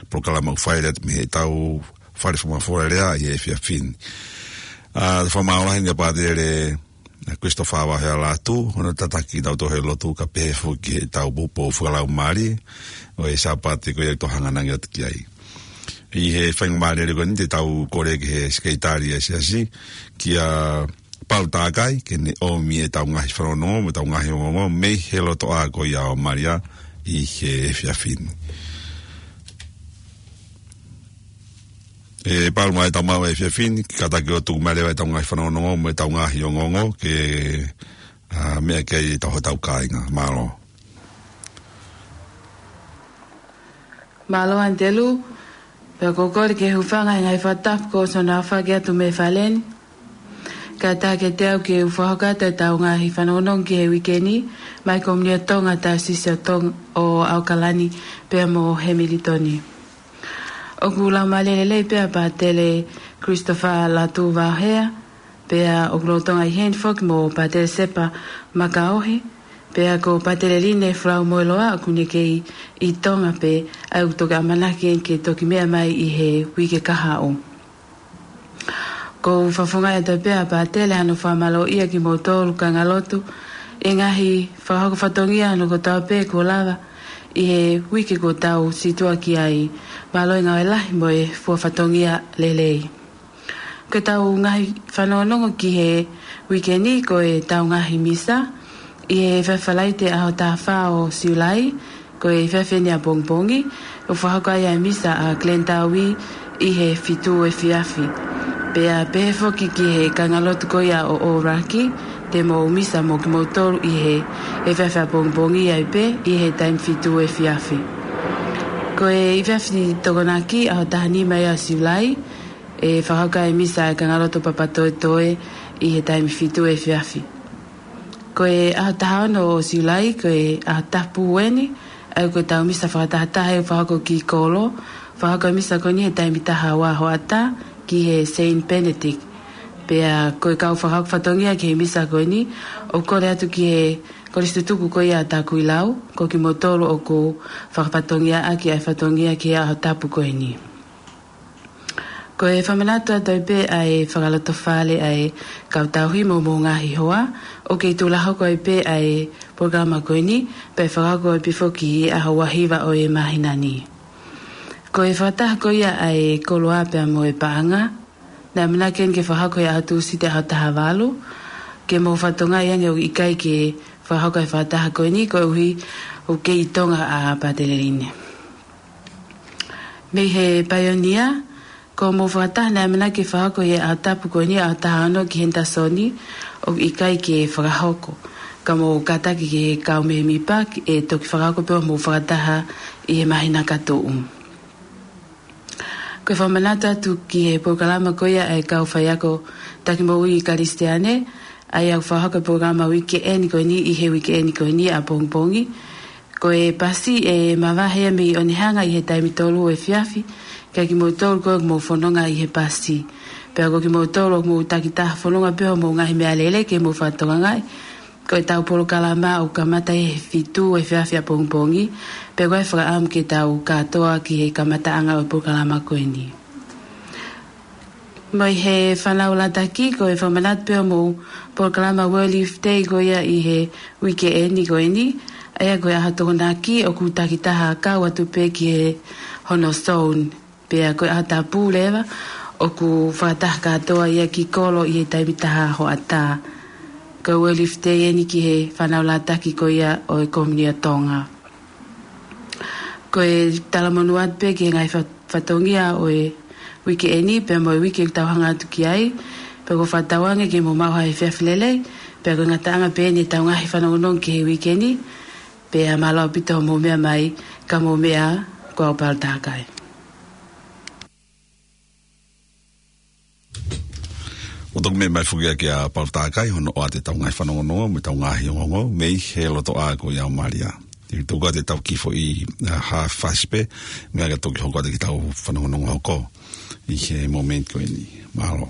polokalama ʻoku fai atu mei heʻetau fale fakamafola lea ʻi he efiafi ni. ʻA, fakamālō lahi ʻa Pātele Christopher Vaohea Lātū, hono tataki kitautolu he lotu kae pehē foki heʻetau poupou fakalaumālie ʻo e Sāpate ko ia ʻoku tau hanga atu ki ai. ʻI he faingamālie ko eni te tau kole ki he sekelitali ʻa e siasi, kia Paul Takai, ke ne ʻomi ʻetau ngaahi fanongonongo, mo ʻetau ngaahi ongoongo, mei he lotoʻā ko ia ʻo Malia ʻi he efiafi ni. ʻE Paul, mai tau maʻu e efiafi ni, kātaki ʻo tuku mai leva ʻetau ngaahi fanongonongo, mo ʻetau ngaahi ongoongo, ke, ʻa, meʻa ki ai ʻetau hotau kāinga. Mālō. Mālō Anitelu, pea ʻoku ou kole ke u hūfanga he ngaahi fakatapu kuo ʻosi hono aofaki atu mei fale ni. Kae ʻatā kiate au ke u fakahoko atu ʻetau ngaahi fanongonongo ki he uike ni, mei he Komiuniti ʻo Tonga, Taisesi ʻo Tonga ʻo ʻAokalani, pea mo Hemilitoni. ʻOku laumālie lelei pē ʻa Pātele Christopher Lātū Vaohea, pea ʻoku lolotonga ʻi heni foki mo Pātele Sepa Makaohi, pea ko Pātele Line Folau Moeloa ʻoku ne kei ʻi Tonga pē, ʻa ia ʻoku toki ʻamanaki ke toki meʻa mai ʻi he uike kahaʻu. ʻOku ou fakafofongaʻi atu pē ʻa Pātele hano fakamālōʻia kimoutolu kāingalotu, ʻi he ngaahi fakahoko fatongia hono kotoa pē kuo lava ʻi he uike kuo tau situʻa ki ai. Mālō e ngāue lahi mo e fua fatongia lelei. Ko ʻetau ngaahi fanongonongo ki he uike ni ko ʻetau ngaahi misa, ʻi he efiafi Falaite ʻaho taha fā ʻo Siulai, ko e efiafi eni ʻapongipongi, ʻoku fakahoko ai ʻa e misa ʻa Glenn Taui ʻi he fitu efiafi. Pea pehē foki ki he kāingalotu ko ia ʻo ʻŌlaki, te mou misa mo kimoutolu ʻi he efiafi ʻapongipongi ai pē ʻi he taimi fitu efiafi. Ko e efiafi Tokonaki ʻaho taha nima ia ʻo Siulai, ʻe fakahoko ai e misa ʻa e kāingalotu Papatoetoe ʻi he taimi fitu efiafi. Ko e ʻaho taha ono ʻo Siulai, ko e ʻaho tapu eni, ʻa ia ko ʻetau misa fakatahataha ʻe fakahoko ki Kolo, fakahoko e misa ko eni he taimi taha ua hoʻatā ki he Saint Benedict. Pea ko e kau fakahoko fatongia ki he misa ko eni, ʻoku kole atu ki he Kolisi Tutuku ko ia ʻa Takuilau, ko kimoutolu ʻoku fakafatongiaʻaki ʻa e fatongia ki he ʻaho tapu ko eni. Ko e fakamanatu atu ai pē ʻa e fakalotofale ʻa e kau tauhi mo hoʻomou ngaahi hoa, ʻoku kei tuʻu hoko ai pē ʻa e polokalama ko eni, pea ʻe fakahoko ai pē foki ʻi he ʻaho ua hiva ʻo e māhina ni. Ko e fakataha ko ia ʻa e koloa pea mo e paʻanga, naʻe ʻamanaki ke fakahoko he ʻaho Tūsite ʻaho taha valu, ke mou fakatokangaʻi ange ʻoku ʻikai ke fakahoko e fakataha ko eni koeʻuhi ʻoku kei ʻi Tonga ʻa Pātele Line. Mei he Paionia, ko hoʻomou fakataha naʻe ʻamanaki ke fakahoko he ʻaho tapu ko eni ʻaho taha ono ki Henderson, ʻoku ʻikai ke fakahoko. Ka mou kātaki ki he kau mēmipa ke toki fakahoko pē hoʻomou fakataha ʻi he māhina ka tuʻu. Ko e fakamanatu atu ki he polokalama ko ia ʻa e kau faiako taki moʻui Kalisitiane, ʻa ia ʻoku fakahoko e polokalama uike eni ko eni ʻi he uike eni ko eni ʻapongipongi. Ko e pasi ʻe mavahe ia mei ʻOnehunga ʻi he taimi tolu efiafi, ka kimoutolu ko ē ʻoku mou fononga ʻi he pasi. Pea ko kimoutolu ʻoku mou takitaha fononga pē hoʻomou ngaahi meʻalele ke mou fakatokangaʻi, ko ʻetau polokalama ʻoku kamata he fitu efiafi ʻapongipongi, pea ʻoku ʻi ai e fakaʻamu ke tau kātoa ki he kamataʻanga ʻo e polokalama ko eni. Mei he fānau Lataki, ko e fakamanatu pē hoʻomou polokalama World Youth Day ko ia ʻi he uike eni ko eni, ʻa ia ko e ʻaho Tokonaki ʻoku takitaha kau atu pē ki he hono zone. Pea ko e ʻaho tapu leva, ʻoku fakataha kātoa ia ki Kolo ʻi he taimi taha hoʻatā. Ko e World Youth Day eni ki he fānau Lataki ko ia ʻo e Komiuniti ʻo Tonga. Ko e talamonū atu pē ki he ngaahi fa-, fatongia ʻo e uike eni, pea mo e uike ʻoku tau hanga atu ki ai, pea ʻoku ou fakatauange ke mou maʻu ha efiafi lelei, pea ko e ngataʻanga pē eni ʻetau ngaahi fanongonongo ki he uike ni, pea mālō ʻaupito hoʻomou meʻa mai, ka mou meʻa, ko au Paul Takai. ʻOku toki meʻa mai foki ʻa Paul Takai, hono ʻoatu ʻetau ngaahi fanongonongo, mo ʻetau ngaahi ongoongo, mei he lotoʻā ko ia ʻo Malia. ʻE tuku atu ʻetau kiʻi foʻi, ʻa, hā fasi pē, meʻa ka toki hoko atu ki heʻetau fanongonongo hoko ʻi he mōmeniti ko eni. Mālō.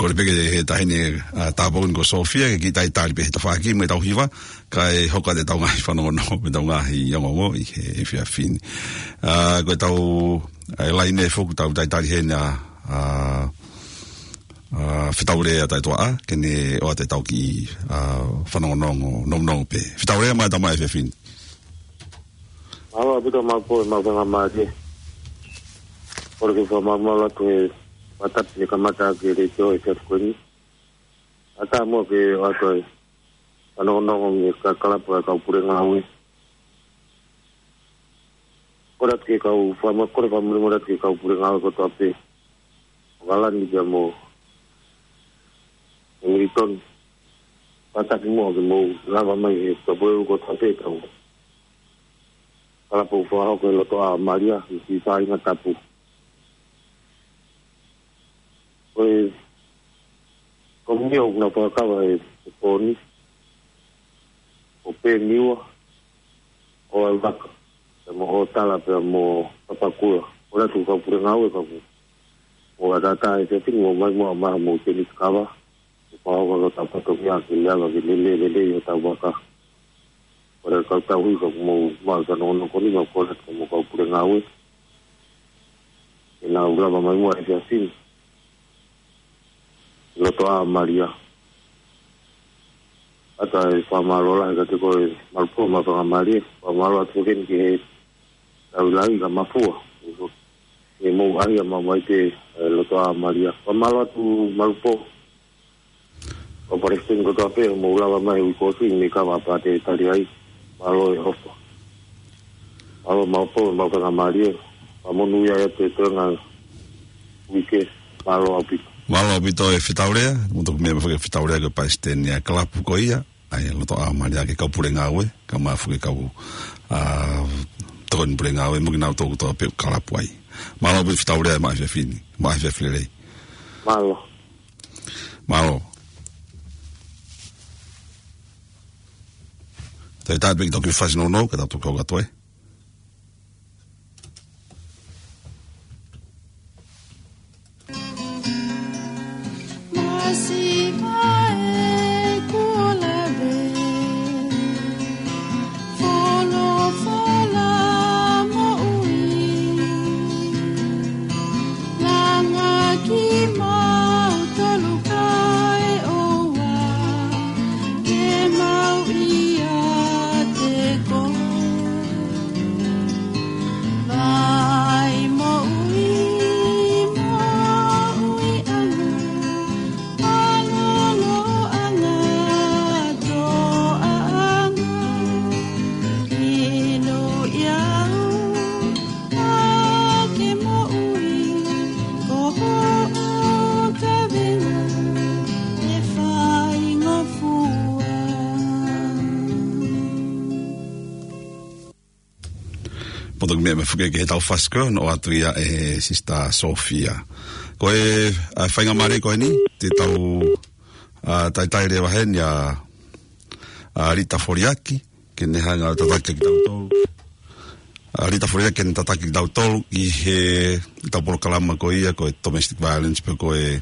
Kole pē ki he taʻahine, ʻa, tāpuni ko Sofia, ke kiʻi talitali pē he tafaʻaki mo ʻetau hiva, kae hoko atu ʻetau ngaahi fanongonongo, mo ʻetau ngaahi ongoongo ʻi he efiafi ni. ʻA, ko ʻetau, ʻa, laine foki ʻoku tau talitali heni ʻa, ʻa, ʻa, Fetaulea Taitoaʻa, ke ne ʻoatu ʻetau kiʻi, ʻa, fanongonongo, nounou pē. Fetaulea, mālō e tama efiafi ni. Mālō ʻaupito Malupo, e mau fenga mālie. Kole ke fakamalumalu atu he fakatapu ne kamata ʻaki e letiō he efiafi ko eni. ʻAtā muʻa ke ʻoatu e fanongonongo mei he kau kalapu ʻa e kau pule ngāue. Kole atu ki he kau fama-, kole fakamolemole atu ki he kau pule ngāue kotoa pē. ʻOkalani pea mo Hamilton. Fakatapu muʻa ke mou lava mai he kau pule kotoa pē kau kalapu fakahoko he lotoʻā ʻo Malia, ʻi he fāinga tapu. Ko e komiti ʻoku na fakakava he, he pō ni, ʻo Peniua, ʻo Aivaka, pea mo ʻOtala, pea mo Papakura. Kole atu kau pule ngāue ka ku. ʻO ʻatā ʻa e efiafi ni, mou mai muʻa ʻo maʻu homou tenisi kava. Ko e pau ko e tau fatongia ke lava ke lele, lele ʻi hotau vaka. Kole atu kau tauhi ka mou maʻu fanongonongo ko eni, mau kole atu ki he kau pule ngāue. Ke nau lava mai muʻa he efiafi ni. Lotoʻā ʻo Malia. ʻAtā e fakamālō lahi kiate koe Malupo, mau fenga mālie. Fakamālō atu foki ki he Tauilai ka Mafua. ʻE mou ʻahiʻahi mai pē, ʻe, lotoʻā ʻo Malia. Fakamālō atu Malupo. Kau palesiteni kotoa pē, mou lava mai he uike ko eni, mei kava pā te tali ai. Mālō e ʻofa. Mālō Malupo, mau fenga mālie. Fakamonūʻia atu e toenga uike, mālō ʻaupito. Mālō ʻaupito e Fetaulea, mo toku meʻa mai foki e Fetaulea ko e palesiteni ʻa e kalapu ko ia. ʻA e lotoʻā ʻo Malia, ki he kau pule ngāue, kae ʻumaʻā foki e kau, ʻa, tokoni pule ngāue, mo kinautolu kotoa pē ʻoku kalapu ai. Mālō ʻaupito Fetaulea, maʻa e efiafi ni, maʻa e efiafi lelei. Mālō. Mālō. Talitali pē ke tau kiʻi fasi nounou, kae tau toki hoko atu ai. Masiʻi mai kuo lave, folofola moʻui, langa kimautolu kae ʻoua ke mau ʻiate koe. Vai moʻui, moʻui ʻalu, mālōlōʻanga, toʻaʻanga, inu ia au, ʻa ke moʻui, ko hoʻo kaveinga ʻe faingofua. Mo toki meʻa mai foki ki he tau fasi ko eni, ʻoatu ia ʻe Sister Sofia. Ko e, ʻa, faingamālie ko eni, te tau, ʻa, talitali leva heni ʻa, ʻa Lita Foliaki, ke ne hanga ʻo tataki kitautolu. ʻA, Lita Foliaki ke ne tataki kitautolu ʻi he tau polokalama ko ia, ko e domestic violence, pe ko e,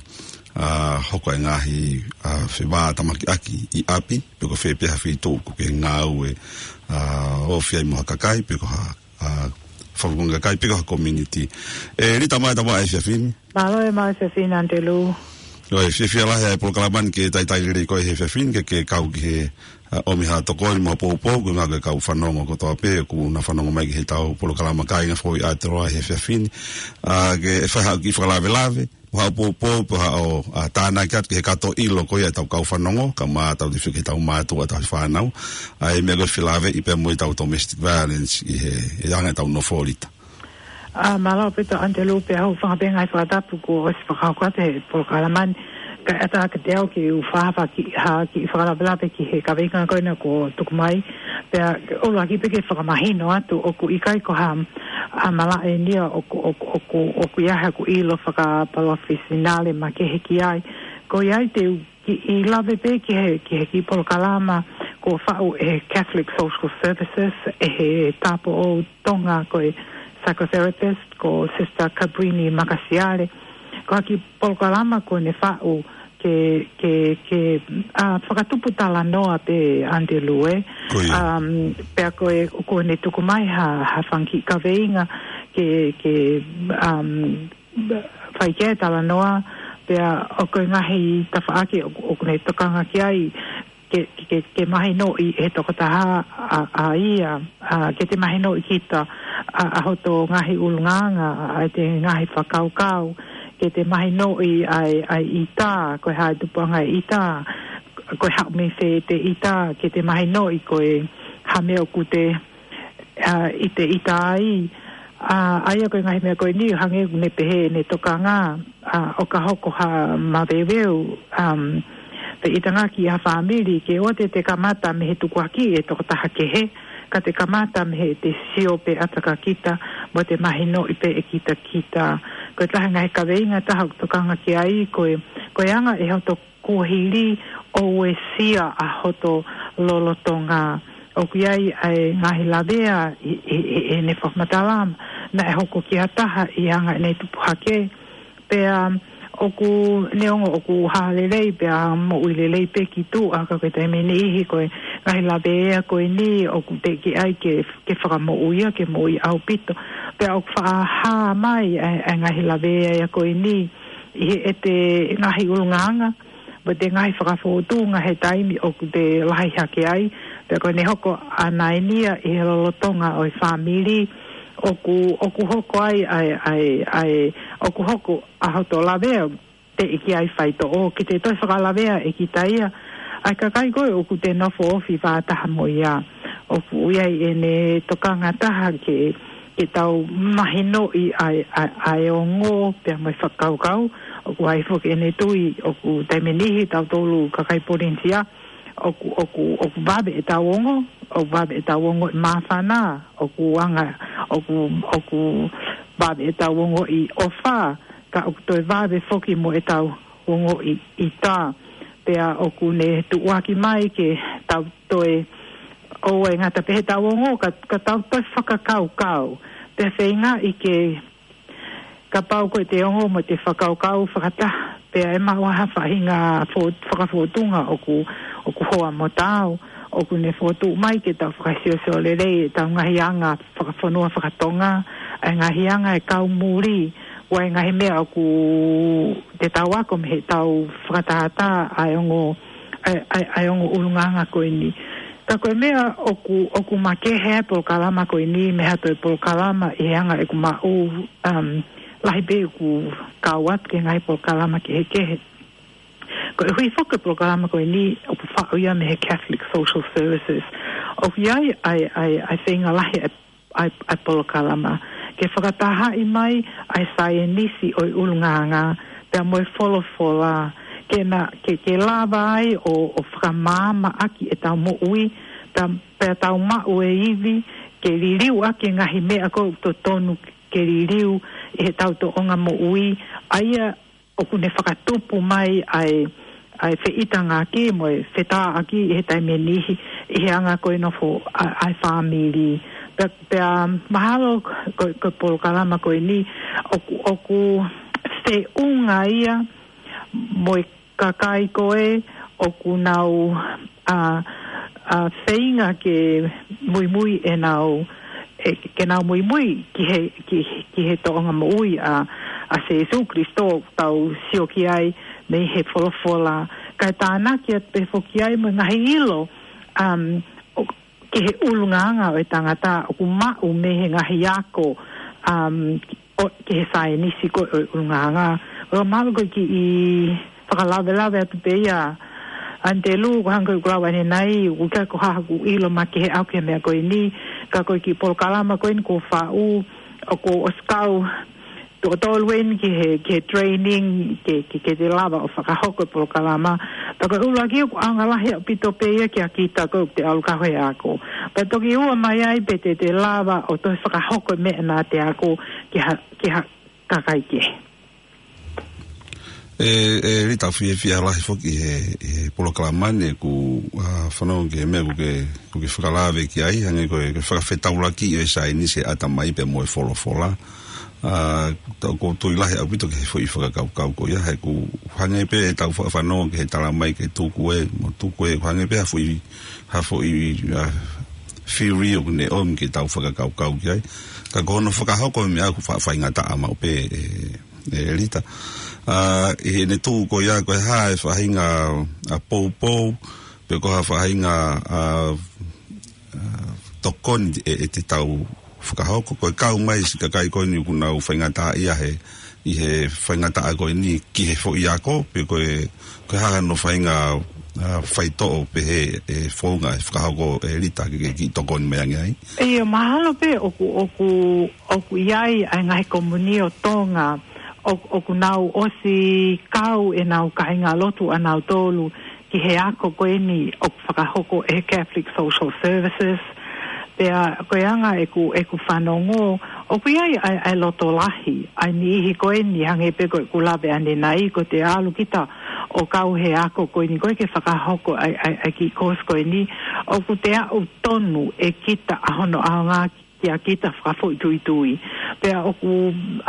ʻa, hoko e ngaahi, ʻa, fevātamakiʻaki ʻi ʻapi, pe ko fē pē ha feituʻu ʻoku ke ngāue, ʻa, ofi ai mo ha kakai, pe ko ha, ʻa, fakafofonga kakai, pe ko ha community. ʻE, Lita, mālō e tama efiafi ni. Mālō e, maʻa e efiafi ni, Antelū. ʻOi, fiefia lahi ʻa e polokalama ni ke talitali lelei koe he efiafi ni, ke, ke kau ki he, ʻa, ʻomi ha tokoni mo ha poupou, ko e ngaahi kau fanongo kotoa pē, ʻoku na fanongo mai ki he tau polokalama Kāinga Foʻou ʻi Aotearoa he efiafi ni. ʻA, ke fai haʻo kiʻi fakalavelave, mo haʻo poupou, pe haʻo, ʻa, tānaki atu ki he kato ʻilo ko ia ʻetau kau fanongo, kae ʻumaʻā ʻetau tefiki ʻetau mātuʻa, ʻetau fānau. ʻA e meʻa ko e felāveʻi pea mo ʻetau domestic violence ʻi he, ʻi he anga ʻetau nofo, Lita. ʻA, mālō ʻaupito Antelū, pea ʻoku ou fakaʻapaʻapa he fakatapu kuo ʻosi fakahoko atu he polokalama ni. Kae ʻatā kiate au ke u fakahā ha kiʻi, ha kiʻi fakalavelave ki he kaveinga ko ena kuo tuku mai. Pea ʻuluaki pē ke fakamahino atu ʻoku ʻikai ko ha, ʻa, malaʻe eni ia ʻoku, ʻoku, ʻoku, ʻoku ʻi ai haʻaku ʻilo fakapalofesinale makehe ki ai. Ko ia ai te u kiʻi lave pē ki he, ki he kiʻi polokalama kuo faʻu ʻe he Catholic Social Services, ʻe he Tāupoʻou Tonga ko e psychotherapist, ko Sister Cabrini Makasiale. Ko e kiʻi polokalama kuo ne faʻu ke, ke, ke, ʻa, fakatupu talanoa pē ʻAnitelū. Ko ia. Um, pea ko e, ʻoku ne tuku mai ha, ha fanga kiʻi kaveinga ke, ke, um, fai ki ai e talanoa, pea ʻoku ʻi ai e ngaahi tafaʻaki ʻoku, ʻoku ne tokanga ki ai, ke, ke, ke, ke mahinoʻi ʻe he tokotaha ʻa, ʻa ia, ʻa, ke te mahinoʻi kita, ʻa, ʻa hoto ngaahi ʻulungaanga, ʻa, ʻa ʻete ngaahi fakakaukau, ke te mahinoʻi ʻa e, ʻa e ʻita, ko e hā e tupuʻanga e ʻita, ko e haʻu mei fē ʻete ʻita, ke te mahinoʻi ko e hā e meʻa ʻoku te, ʻa, ʻite, ʻita ai, ʻa, ʻa ia ko e ngaahi meʻa ko eni, hangē ʻoku ne pehē ʻene tokanga, ʻa, ʻo ka hoko ha maveuveu, um, feʻitangaki ʻa e fāmili, ke ʻoua te te kamata mei he tukuakiʻi ʻe he tokotaha kehe, ka te kamata mei heʻete sio pē ʻataʻatā kita, mo ʻete mahinoʻi pē ʻe kitakita. Ko e taha e ngaahi kaveinga ʻe taha ʻoku tokanga ki ai, ko e, ko e anga ʻe hoto kuohili ʻo uesia ʻa hoto lolotonga. ʻOku ʻi ai ʻa e ngaahi lavea ʻi, ʻi, ʻi, ʻi heʻene fakamatala, naʻe hoko ki ha taha ʻi he anga ʻene tupu hake. Pea ʻoku, neongo ʻoku hā lelei, pea moʻui lelei pē ki tuʻa, ka ko e taimi ʻe niʻihi ko e ngaahi lavea ko eni, ʻoku teʻeki ai ke, ke fakamoʻui ia, ke moʻui ʻaupito. Pea ʻoku faʻa hā mai ʻa e, ʻa e ngaahi lavea ia ko eni, ʻi heʻete ngaahi ʻulungaanga, mo ʻete ngaahi fakafōtunga he taimi ʻoku te lahi hake ai, pea ko ʻene hoko ʻa e nānai ia ʻi he lolotonga ʻo e fāmili, ʻoku, ʻoku hoko ai, ʻa e, ʻa e, ʻa e, ʻoku hoko ʻa hoto lavea, teʻeki ai faitoʻo, ke te toe fakalavea ʻe kita ia, ʻa e kakai ko ē ʻoku te nofo ofi fakataha mo ia. ʻOku ʻi ai ʻene tokanga taha ke, ke tau mahinoʻi ʻa e, ʻa e, ʻa e ongo pea mo e fakakaukau, ʻoku ʻi ai foki ʻene tui, ʻoku taimi ʻe niʻihi tautolu kakai Polinisia, ʻoku, ʻoku, ʻoku vave ʻetau ongo, ʻoku vave ʻetau ongoʻi māfana, ʻoku anga, ʻoku, ʻoku vave ʻetau ongoʻi ʻofa, ka ʻoku toe vave foki mo ʻetau ongoʻi ʻita. Pea ʻoku ne tuʻuaki mai ke tau toe, ʻoua ʻe ngata pē heʻetau ongo, ka, ka tau toe fakakaukau. Pea feingaʻi ke, kapau ko ʻete ongo mo ʻete fakakaukau fakataha, pea ʻe maʻu ha faʻahinga fo-, fakafōtunga ʻoku, ʻoku hoa mo taau, ʻoku ne fokotuʻu mai ke tau fakasiosio lelei ʻetau ngaahi anga fakafonua fakatonga, ʻa e ngaahi anga ʻa e kau muli, ʻa e ngaahi meʻa ʻoku te tau ako mei heʻetau fakatātā ʻa e ongo, ʻa e, ʻa e, ʻa e ongo ʻulungaanga ko eni. Ka ko e meʻa ʻoku, ʻoku makehe ʻa e polokalama ko eni mei ha toe polokalama ʻi he anga ʻeku maʻu, um, lahi pē ʻeku kau atu ki he ngaahi polokalama kehekehe. Koeʻuhi foki ko e polokalama ko eni ʻoku faʻu ia mei he Catholic Social Services. ʻOku ʻi ai ʻa e, ʻa e, ʻa e feinga lahi ʻa e, ʻa e, ʻa e polokalama ke fakatahaʻi mai ʻa e saienisi ʻo e ʻulungaanga, pea mo e folofola, ke na, ke, ke lava ai ʻo, ʻo fakamaamaʻaki ʻetau moʻui, pea, pea tau maʻu e ivi, ke liliu ʻaki e ngaahi meʻa ko ē ʻoku totonu ke liliu ʻi heʻetau tōʻonga moʻui, ʻa ia ʻoku ne fakatupu mai ʻa e, ʻa e feʻitangaki mo e fetāʻaki ʻi he taimi ʻe niʻihi ʻi he anga ko ē nofo ʻa, ʻa e fāmili. Pea, pea mahalo ko, ko e polokalama ko eni ʻoku, ʻoku feʻunga ia mo e kakai ko ē ʻoku nau, ʻa, ʻa, feinga ke muimui ʻenau, ʻe, ke nau muimui ki he, ki, ki he tōʻonga moʻui ʻa, ʻa Sēsū Kalaisi ʻoku tau sio ki ai mei he folofola. Kae tānaki atu pē foki ai mo e ngaahi ʻilo, um, ʻo, ki he ʻulungaanga ʻo e tangata ʻoku maʻu mei he ngaahi ako, um, ʻo, ki he saienisi ko ē ʻo e ʻulungaanga. ʻOku mahalo ko e kiʻi fakalavelave atu pē ia, ʻAnitelū, ko e hangē ko ʻeku lave ʻanenai, ʻoku ʻikai ko ha haʻaku ʻilo makehe ʻaʻaku ki he meʻa ko eni, ka ko e kiʻi polokalama ko eni kuo faʻu, ʻoku ou ʻosi kau tuʻo tolu eni ki he, ki he training, ke, ke, ke te lava ʻo fakahoko e polokalama. Pea ko e ʻuluaki ʻoku ʻaonga lahi ʻaupito pē ia kia kita ko ē ʻoku te ʻalu kau he ako. Pea toki ua mai ai pe te te lava ʻo toe fakahoko e meʻa naʻa te ako ki ha, ki ha kakai kehe. ʻE, ʻe Lita, ʻoku fiefia lahi foki he, he polokalama ni, ʻoku, ʻa, fanongo ki he meʻa ʻoku ke, ʻoku ke fakalave ki ai, hangē ko e, ko e fakafetaulaki ʻo e saienisi he ʻatamai pea mo e folofola. ʻA, tau ko tui lahi ʻaupito ki he foʻi fakakaukau ko ia, he ʻoku hangē pē ʻetau fa-, fanongo ki he tala mai ke tuku ē, mo tuku ē, ʻoku hangē pē ha foʻi, ha foʻi, ʻa, theory ʻoku ne ʻomi ke tau fakakaukau ki ai. Ka ko hono fakahoko e meʻa ʻoku fa-, faingataʻa maʻu pē ē, ē Lita. ʻA, ʻi heʻene tuʻu ko ia, ko e hā e faʻahinga, ʻa, poupou, pe ko ha faʻahinga, ʻa, ʻa, tokoni ʻe, ʻe te tau fakahoko, ko e kau mai siʻi kakai ko eni ʻoku nau faingataʻaʻia he, ʻi he faingataʻa ko eni ki he foʻi ako, pe ko e, ko e hā hano faʻahinga, ʻa, faitoʻo pehē ʻe founga ʻe fakahoko ʻe Lita ke, ke kiʻi tokoni mai ange ai. ʻIo, mahalo pē ʻoku, ʻoku, ʻoku ʻi ai ʻa e ngaahi komiunitī ʻo Tonga, ʻo, ʻoku nau ʻosi kau ʻenau kāingalotu ʻanautolu ki he ako ko eni ʻoku fakahoko ʻe he Catholic Social Services. Pea ko e anga ʻeku, ʻeku fanongo, ʻoku ʻi ai ʻa e, ʻa e loto lahi, ʻa e niʻihi ko eni hangē pē ko ʻeku lave ʻanenai, ko te ʻalu kita ʻo kau he ako ko eni ko ē ke fakahoko ʻa e, ʻa e, ʻa e kiʻi course ko eni, ʻoku te aʻu tonu ʻe kita ʻa hono ʻaonga kia kita fakafoʻituitui. Pea ʻoku,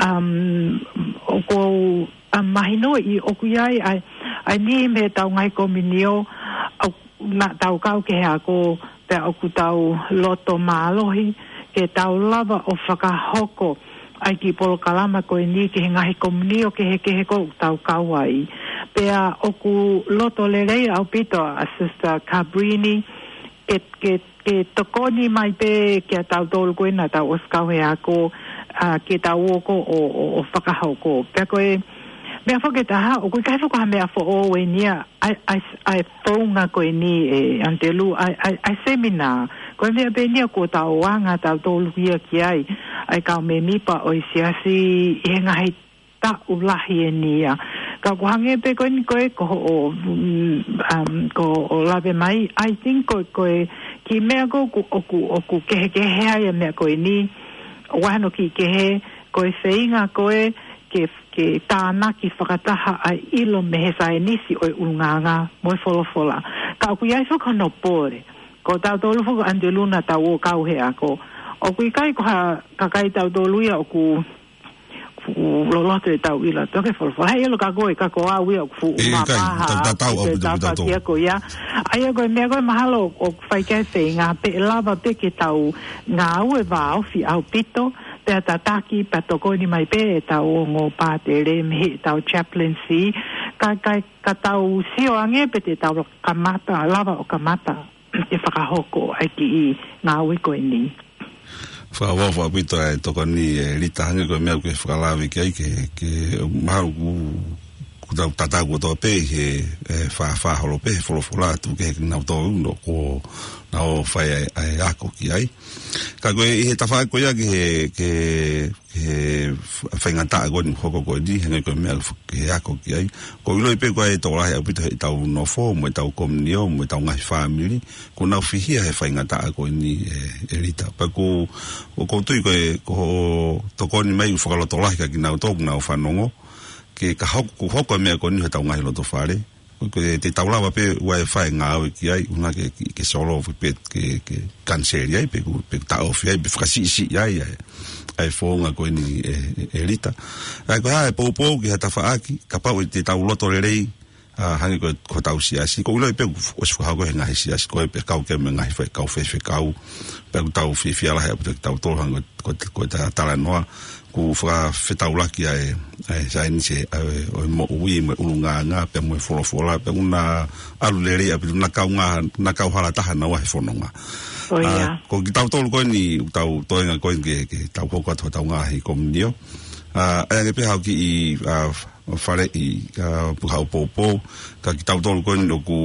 um, ʻoku ou, um, mahinoʻi ʻoku ʻi ai ʻa e, ʻa e niʻihi mei heʻetau ngaahi komiunitī ʻoku, naʻa tau kau ki he ako, pea ʻoku tau loto mālohi ke tau lava ʻo fakahoko ʻa e kiʻi polokalama ko eni ki he ngaahi komiunitī kehekehe ʻoku tau kau ai. Pea ʻoku loto lelei ʻaupito ʻa Sister Cabrini, ke, ke, ke tokoni mai pē kia tautolu ko ē naʻa tau ʻosi kau he ako, ʻa, ke tau ō ko ē ʻo, ʻo, ʻo fakahoko. Pea ko e meʻa foki ʻe taha, ʻoku ʻikai foki ha meʻa foʻou eni ia, ʻa e, ʻa e, ʻa e founga ko eni ē ʻAnitelū, ʻa e, ʻa e, ʻa e semina. Ko e meʻa pē eni ia kuo tau anga tautolu ia ki ai, ʻa e kau mēmipa ʻo e siasi ʻi he ngaahi taʻu lahi eni ia. Ka ʻoku hangē pē ko eni ko ē ko hoʻo, mm, um, ko hoʻo lave mai, I think ko, ko e kiʻi meʻa ko ē ʻoku, ʻoku, ʻoku kehekehe ai ʻa e meʻa ko eni, ʻoku ʻi ai hano kiʻi kehe, ko e feinga ko ē ke, ke tānaki fakataha ʻa e ʻilo mei he saienisi ʻo e ʻulungaanga mo e folofola. Ka ʻoku ʻi ai foki hono pole. Ko tautolu foki ʻAnitelū naʻa tau ō kau he ako, ʻoku ʻikai ko ha kakai tautolu ia ʻoku fuʻu loloto ʻetau ʻilo ʻa e tohi folofola. He ʻilo ka ko e, ka ko au ia ʻoku fuʻu mamaha, tau tatau ʻaupito pē tautolu. Ko ia. ʻA ia ko e meʻa ko ē mahalo ʻoku fai ki ai e feinga, pe ʻe lava pē ke tau ngāue vāofi ʻaupito, pea tataki, pea tokoni mai pē ʻetau ongo pātele mei heʻetau chaplaincy, ka, ka, ka tau sio ange pe te tau kamata, lava ʻo kamata ke fakahoko ʻa e kiʻi ngāue ko eni. Fakaʻofoʻofa ʻaupito ʻa e tokoni ē Lita, hangē ko e meʻa ʻoku ke fakalave ki ai ke, ke mahalo ʻoku, ʻoku tau tatau kotoa pē he, ē, fā, fā holo pē he folofola atu ke he kinautolu ʻoku nau fai ʻa e, ʻa e ako ki ai. Ka ko e ʻi he tafaʻaki ko ia ki he, ki he he f-, faingataʻa ko eni hoko ko eni, hangē ko e meʻa f-, ke ako ki ai. ʻOku ou ʻiloʻi pē ko e tokolahi ʻaupito heʻetau nofo, mo ʻetau komiunitī, mo ʻetau ngaahi fāmili, ʻoku nau fihia he faingataʻa ko eni ē, ē Lita. Pea ʻoku, ʻoku ou tui ko e, ko hoʻo tokoni mai ʻoku fakalotolahi kia kinautolu ʻoku nau fanongo, ke ka hoko, ʻoku hoko e meʻa ko eni heʻetau ngaahi loto fale. Ko e te tau lava pē ʻo fai e ngāue ki ai, ʻuhinga ke, ke, ke solove pē, ke, ke kaniseli ai, pe ʻoku, pe ʻoku taʻofi ai, pe fakasiʻisiʻi ai, ʻa e, ʻa e founga ko eni ē, ē, ē Lita. ʻA ia ko e hā e poupou ki ha tafaʻaki, kapau ʻe te tau loto lelei, ʻa, hangē ko e, ko hotau siasi, ʻoku ou ʻiloʻi pē ʻoku f-, ʻosi fakahoko he ngaahi siasi, ko e pē kau ki he ngaahi fai-, kau faifekau, pea ʻoku tau fiefia lahi ʻaupito kitautolu, hangē ko e, ko e, ko e ta-, talanoa, ʻoku fakafetaulaki ʻa e, ʻa e saienisi ʻa e, ʻo e moʻui mo e ʻulungaanga, pea mo e folofola, pea ʻoku na ʻalu lelei ʻaupito, na kau ngā, na kau hala taha naua he fononga. Ko ia. ʻA, ko kitautolu ko eni, ʻoku tau toenga ko eni ke, ke tau hoko atu hotau ngaahi komiunitī. ʻA, ʻa e ange pē haʻo kiʻi, ʻa, faleʻi, ʻa, pu-, haʻo poupou, ka kitautolu ko eni ʻoku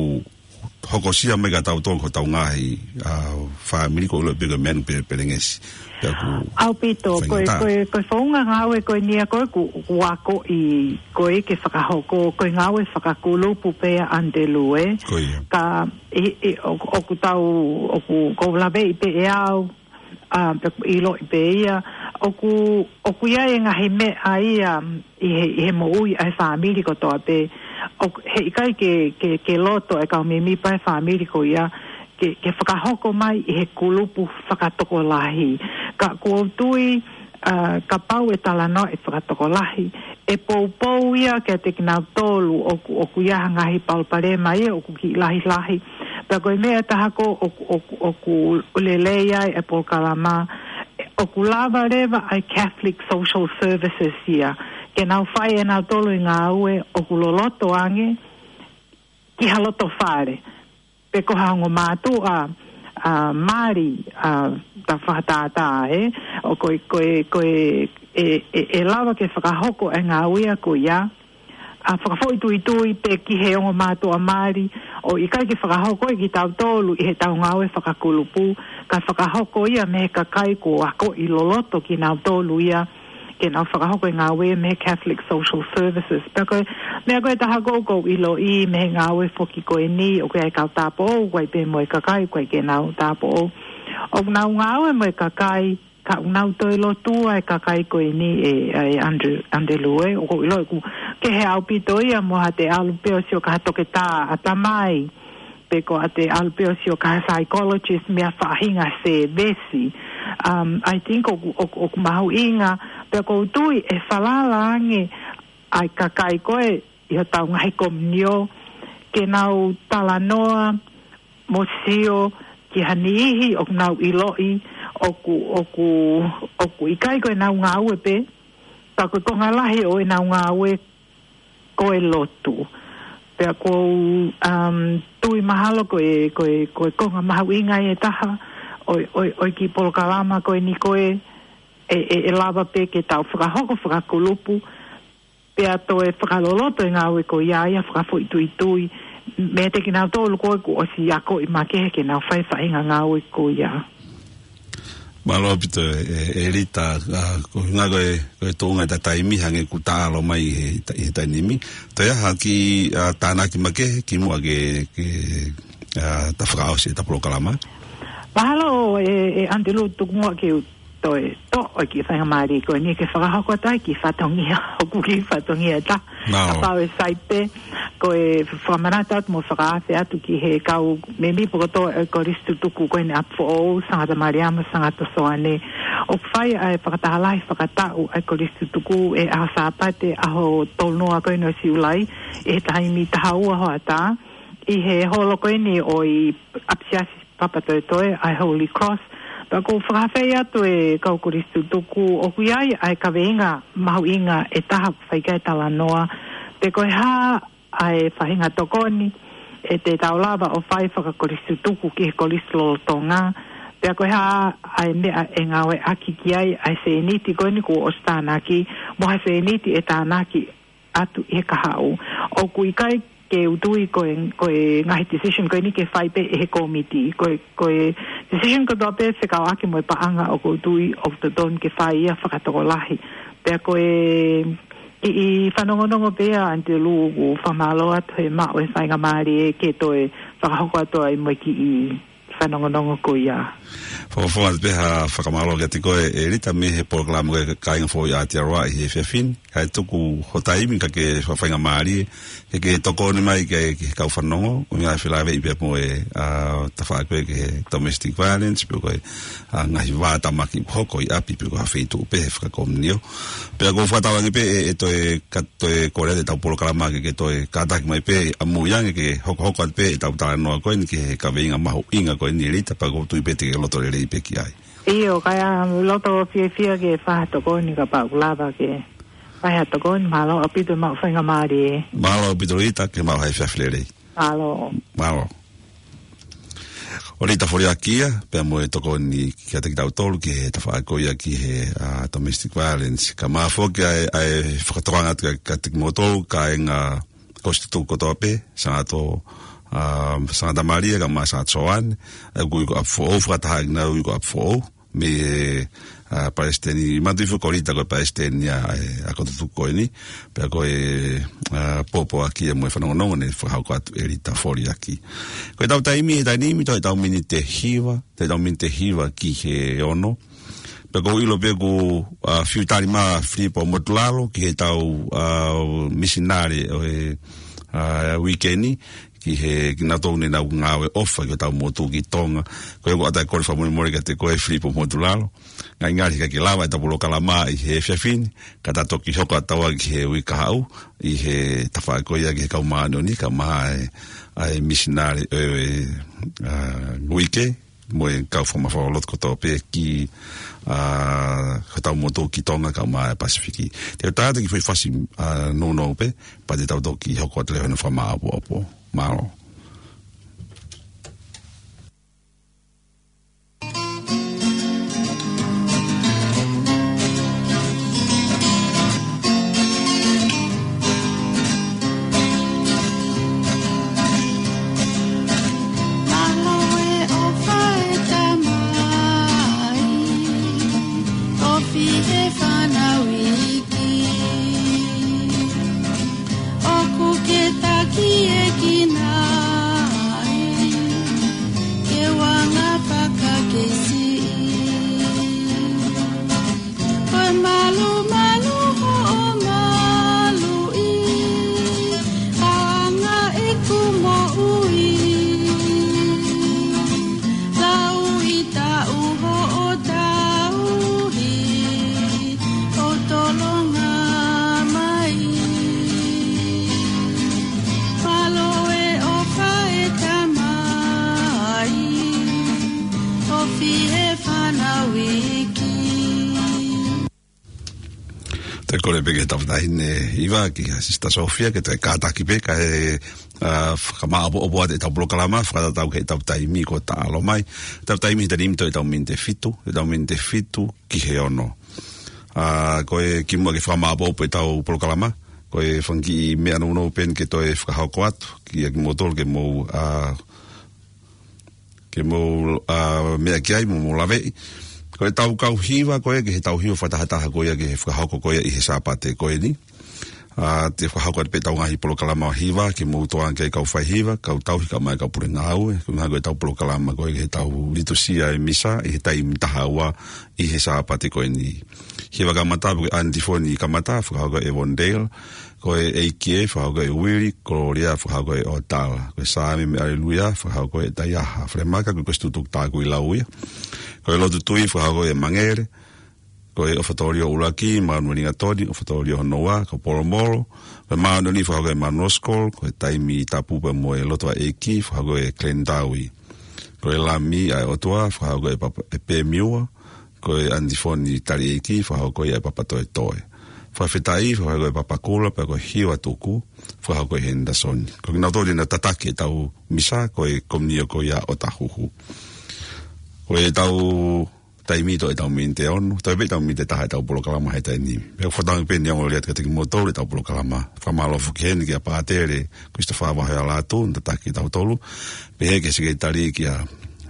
hokosia mai kia tautolu ko hotau ngaahi, ʻa, fāmili ʻoku ou ʻilo pē ko e meʻa eni pē Pelengesi. Pea ʻoku ʻaupito, ko e, faingataʻa. Ko e, ko e founga ngāue ko eni ia ko ē ʻoku, ʻoku akoʻi ko ē ke fakahoko, ko e ngāue fakakulupu pē ia ʻAnitelū ē. Ko ia. Ka, ʻi, ʻi, ʻo, ʻoku tau, ʻoku, ʻoku ou laveʻi pē ʻe au, ʻa, pea ʻoku ʻiloʻi pē ia, ʻoku, ʻoku ʻi ai e ngaahi meʻa ia ʻi he, ʻi he moʻui ʻa e fāmili kotoa pē, ʻoku, heʻikai ke, ke, ke loto e kau mēmipa e fāmili ko ia, ke, ke fakahoko mai ʻi he kulupu fakatokolahi. Ka ʻoku ou tui, ʻa, kapau ʻe talanoa ʻi he fakatokolahi, ʻe poupou ia kiate kinautolu ʻoku, ʻoku ʻi ai ha ngaahi palopalema ia ʻoku kiʻi lahilahi. Pea ko e meʻa ʻe taha ko ē ʻoku, ʻoku, ʻoku lelei ai e polokalama, ʻoku lava leva ʻa e Catholic Social Services ia ke nau fai ʻe nautolu e ngāue ʻoku loloto ange ki ha loto fale pe ko ha ongo mātuʻa, ʻa, mali, ʻa, ta fakatātā, ē? ʻO ko e, ko e, ko e, ʻe, ʻe, ʻe lava ke fakahoko e ngāue ia ko ia, ʻa, fakafoʻituitui pē ki he ongo mātuʻa mali, ʻo ʻikai ke fakahoko ia kitautolu ʻi heʻetau ngāue fakakulupu, ka fakahoko ia mei he kakai kuo akoʻi loloto kinautolu ia, ke nau fakahoko e ngāue mei he Catholic Social Services. Pea ko e meʻa ko ē ʻe taha ʻoku ou ʻiloʻi mei he ngāue foki ko eni, ʻoku ʻi ai e kau tāupoʻou, ʻoku ʻi ai pē mo e kakai ʻoku ʻikai ke nau tāupoʻou. ʻOku nau ngāue mo e kakai, ka ʻoku nau toe lotua e kakai ko eni ē, ʻe Andrew, Andrew Lue, ʻoku ou ʻiloʻi ʻoku kehe ʻaupito ia mo haʻate ʻalu pē ʻo sio ki ha toketā ʻatamai, pe ko haʻate ʻalu pē ʻo sio ki ha psychologist mei ha faʻahinga sēvesi. Um, I think ʻoku, ʻoku, ʻoku mahuʻinga, pea ʻoku ou tui ʻe falala ange ʻa e kakai ko ē ʻi hotau ngaahi komiunitī ke nau talanoa mo sio ki ha niʻihi ʻoku nau ʻiloʻi ʻoku, ʻoku, ʻoku ʻikai ko ʻenau ngāue pē, ka ko e konga lahi ʻo ʻenau ngāue ko e lotu. Pea ʻoku ou, um, tui mahalo ko e, ko e, ko e konga mahuʻinga ia ʻe taha ʻo e, ʻo e, ʻo e kiʻi polokalama ko eni ko ē, ʻe, ʻe, ʻe lava pē ke tau fakahoko fakakulupu, pea toe fakaloloto e ngāue ko ia, ia fakafoʻituitui meiate kinautolu ko ē kuo ʻosi akoʻi makehe ke nau fai e faʻahinga ngāue ko ia. Mālō ʻaupito ē, ē, ʻElita, ʻa, ko e ʻuhinga ko e, ko e tuʻunga ʻeta taimi hangē ʻoku ta ʻalu mai he ta-, he taimi ni. Toe ʻi ai ha kiʻi, ʻa, tānaki makehe kimuʻa ke, ke, ʻa, ta fakaʻosi ʻeta polokalama? Mahalo ē, ē, Andrew, tuku muʻa ke u toe toʻo e kiʻi faingamālie ko eni ke fakahoko atu ai e kiʻi fatongia, hoku kiʻi fatongia ʻe taha. Nā. Kapau ʻe sai pē, ko e fakamanatu atu mo fakaafe atu ki he kau mēmipa kotoa ʻo e Kolisi Tutuku ko eni, ʻApifoʻou, Sangata Maliama, Sangata Soane. ʻOku fai ʻa e fakataha lahi fakataʻu ʻa e Kolisi Tutuku he ʻaho Sāpate, ʻaho tolu noa ko eni ʻo Siulai, ʻi he taimi taha ua hoʻatā, ʻi he holo ko eni ʻo e ʻApisiasi Papatoetoe, ʻa e Holy Cross. Pea ʻoku ou fakaafeʻi atu e kau Kolisi Tutuku, ʻoku ʻi ai ʻa e kaveinga mahuʻinga ʻe taha ʻoku fai ki ai e talanoa, pe ko e hā ʻa e faʻahinga tokoni ʻe te tau lava ʻo fai fakakolisi tutuku ki he kolisi lolotonga, pea ko e hā ʻa e meʻa ʻe ngāueʻaki ki ai ʻa e sēniti ko eni kuo ʻosi tānaki, mo ha sēniti ʻe tānaki atu ʻi he kahaʻu. ʻOku ʻikai ke u tui ko e, ko e ngaahi decision ko eni ke fai pē ʻe he kōmiti. Ko e, ko e decision kotoa pē fekauʻaki mo e paʻanga ʻoku ou tui ʻoku totonu ke fai ia fakatokolahi. Pea ko e kiʻi fanongonongo pē ia, Andrew, ʻoku ou fakamālō atu he maʻu e faingamālie ke toe fakahoko atu ai mo e kiʻi fanongonongo ko ia. Fakafofonga atu pē ha fakamālō kiate koe, ʻElita, mei he polokalama ko e Kāinga Foʻou ʻi Aotearoa ʻi he efiafi ni. Kae tuku ho taimi kae ke fakafaingamālie ke ke tokoni mai ki he, ki he kau fanongo, ʻuhinga ʻe felāveʻi pea mo e, ʻa, tafaʻaki ko ē ki he domestic violence, pe ko e, ʻa, ngaahi vātamaki ʻoku hoko ʻi ʻapi, pe ko ha feituʻu pē he fakakomiunitī. Pea ʻoku ou fakatauange pē ʻe, ʻe toe ka-, toe kole atu ʻetau polokalama ke, ke toe kātaki mai pē ʻamui ange ke hokohoko atu pē ʻetau talanoa ko eni ki he kaveinga mahuʻinga ko eni, ʻElita, pea ʻoku ou tui pē te ke loto lelei pē ki ai. ʻIo, kae ʻoku ou loto fiefia ke fai ha tokoni kapau ʻoku lava ke fai ha tokoni. Mālō ʻaupito e maʻu faingamālie. Mālō ʻaupito, ʻElita, ke maʻu ha efiafi lelei. Mālō. Mālō. ʻO ʻElita Foliaki ia, pea mo e tokoni kiate kitautolu ki he tafaʻaki ko ia ki he, ʻa, domestic violence. Kae ʻumaʻā foki ʻa e, ʻa e fakatokanga atu kiate kimoutolu, kāinga Kolisi Tutuku kotoa pē, Sangata, ʻa, Sangata Malia, kae ʻumaʻā Sangata Soane, ʻa ia ʻoku ui ko ʻApifoʻou, fakataha kinaua ui ko ʻApifoʻou, mei he, ʻa, palesiteni, manatuʻi foki ko ʻElita ko e palesiteni ʻa e, ʻa e ako tutuku ko eni, pea ko e, ʻa, pōpoaki ia mo e fanongonongo naʻe fakahoko atu ʻe ʻElita Foliaki. Ko ʻetau taimi he taimi ni, toe ʻetau miniti ʻe hiva, toe ʻetau miniti ʻe hiva ki he ono. Pea ʻoku ou ʻilo pē ʻoku, ʻa, fiu tali mai ʻa Filipo Motulalo ki heʻetau, ʻa, misinale ʻo e, ʻa, uike ni, ki he kinautolu ne nau ngāue ʻofa ki hotau motuʻa ki Tonga. Ko ia ʻoku ou ʻatā e kole fakamolemole kiate koe Filipo Motulalo. Ngali ngali he ʻikai ke lava ʻetau polokalama ʻi he efiafi ni, ka ta toki hoko atu ki he uike kahaʻu, ʻi he tafaʻaki ko ia ki he kau māʻoniʻoni, kae ʻumaʻā e, ʻa e misinale, e, e, ʻa, uike, mo e kau fakamafola lotu kotoa pē ki, ʻa, hotau motuʻa ki Tonga kae ʻumaʻā e Pasifiki. Te u tā atu ki he foʻi fasi, ʻa, nounou pē, pea te tau toki hoko atu leva he fakamāʻopoʻopo. Mālō. Mālō e ʻofa e Tamai, ʻofa he fānau iiki. ʻOku ke taki e kinai, ke u anga fakakei siʻi. Ko e malumalu hoʻo maluʻi, anga ʻeku moʻui. Lau ʻi taʻu hoʻo tauhi, ʻo tolonga mai. Mālō e ʻofa e Tamai, ʻofa he fānau iiki. Te u kole pē ki he tauʻatāina ʻi he vā ki he Sister Sofia, ke toe kātaki pē kae, ʻa, fakamāʻopoʻopo atu ʻetau polokalama, fakatatau ki heʻetau taimi kuo taʻalo mai. ʻEtau taimi he taimi toe ʻetau miniti ʻe fitu, ʻetau miniti ʻe fitu ki he ono. ʻA, ko e kimuʻa ke fakamāʻopoʻopo ʻetau polokalama, ko e fanga kiʻi meʻa nounou pē eni ke toe fakahoko atu, kia kimoutolu ke mou, ʻa, ke mou, ʻa, meʻa ki ai, mou, mou laveʻi. Ko ʻetau kau hiva, ko e, ki heʻetau hiva fakatahataha ko ia, ki he fakahoko ko ia ʻi he Sāpate ko eni. ʻA, te fakahoko atu pē ʻetau ngaahi polokalama hiva, ke mou tokanga ki ai kau faihiva, kau tauhi kae ʻumaʻā e kau pule ngāue, ko e ngaahi ko ʻetau polokalama ko e, ki heʻetau litusia e misa, ʻi he taimi taha ua, ʻi he Sāpate ko eni. Hiva kamata, ko e antifoni kamata, fakahoko ʻe Evondale, ko e ʻEiki ē, fakahoko ʻe Uili, Kololia, fakahoko ʻe ʻOtala. Ko e Saame mo e ʻAleluia, fakahoko ʻe Taiaha Falemaka, ko e Kolisi Tutuku Tākuilau ia. Ko e Lotu Tui, fakahoko ʻe Mangele. Ko e ʻOfa Tōlio ʻUluaki, Manueli Ngatoni, ʻOfa Tōlio hono ua, ko Polomolo. Ko e Māʻoniʻoni, fakahoko ʻe Manuel Scholl, ko e Taimi Tapu pea mo e Lotu ʻa e ʻEiki, fakahoko ʻe Glenn Dowie. Ko e Lami ʻa e ʻOtua, fakahoko ʻe Papa, ʻe Pemiua, ko e antifoni Taliʻeiki, fakahoko ʻe Papa Toetoe. Fakafetaʻi, fakahoko ʻe Papa Kula, pea ko e Hiva Tuku, fakahoko ʻe Henderson. Ko kinautolu eni naʻa tataki ʻetau misa, ko e komiunio ko ia ʻo Tahuhu. Ko ʻetau taimi toe ʻetau miniti ʻe ono, toe pē ʻetau miniti ʻe taha ʻetau polokalama he taimi ni. Pea ʻoku fakatauange pē ʻeni ʻa e ongoongolelei atu kiate kimoutolu ʻetau polokalama. Fakamālō foki heni kia Pātele Christopher Vahealatu, naʻe tataki kitautolu. Pehē ki he Sekelitali kia,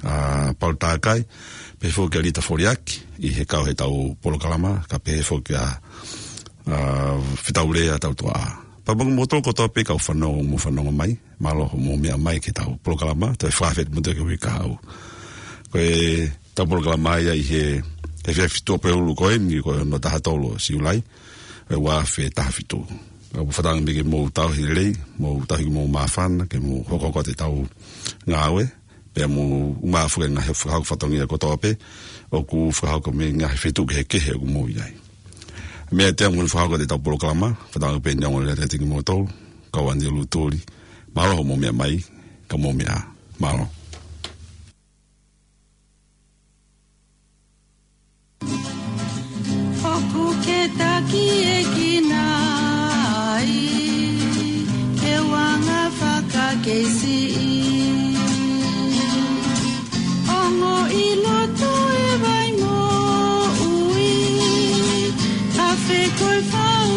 ʻa, Paul Takai, pehē foki kia Lita Foliaki, ʻi he kau heʻetau polokalama, kae pehē foki kia, ʻa, Fetaulea Tautuaʻa. Pea mo kimoutolu kotoa pē kau fanongo, mou fanongo mai, mālō hoʻomou meʻa mai ki heʻetau polokalama, toe fakafetaʻi mo toe ki he uike kahaʻu. Ko ʻetau polokalama ia ʻi he, he efiafi Tuʻapulelulu ko eni, ko e ono taha tolu ʻo Siulai, ʻo e ua afe taha fitu. ʻOku fakatauange pē ke mou tauhi lelei, mou tauhi ke mou māfana, ke mou hokohoko atu ʻetau ngāue, pea mou ʻumaʻā foki e ngaahi fakahoko fatongia kotoa pē ʻoku fakahoko mei he ngaahi feituʻu kehekehe ʻoku mou ʻi ai. Meʻa ʻe taha ʻoku fakahoko ʻetau polokalama, fakatauange pē ʻeni ʻa e ongoongolelei atu kiate kimoutolu, kau ʻAnielū Tuli, mālō hoʻomou meʻa mai, ka mou meʻa ā. Mālō. ʻOku ke taki e kinai, ke u anga fakakei siʻi. Ongoʻi loto e vai moʻui, afe ko e fau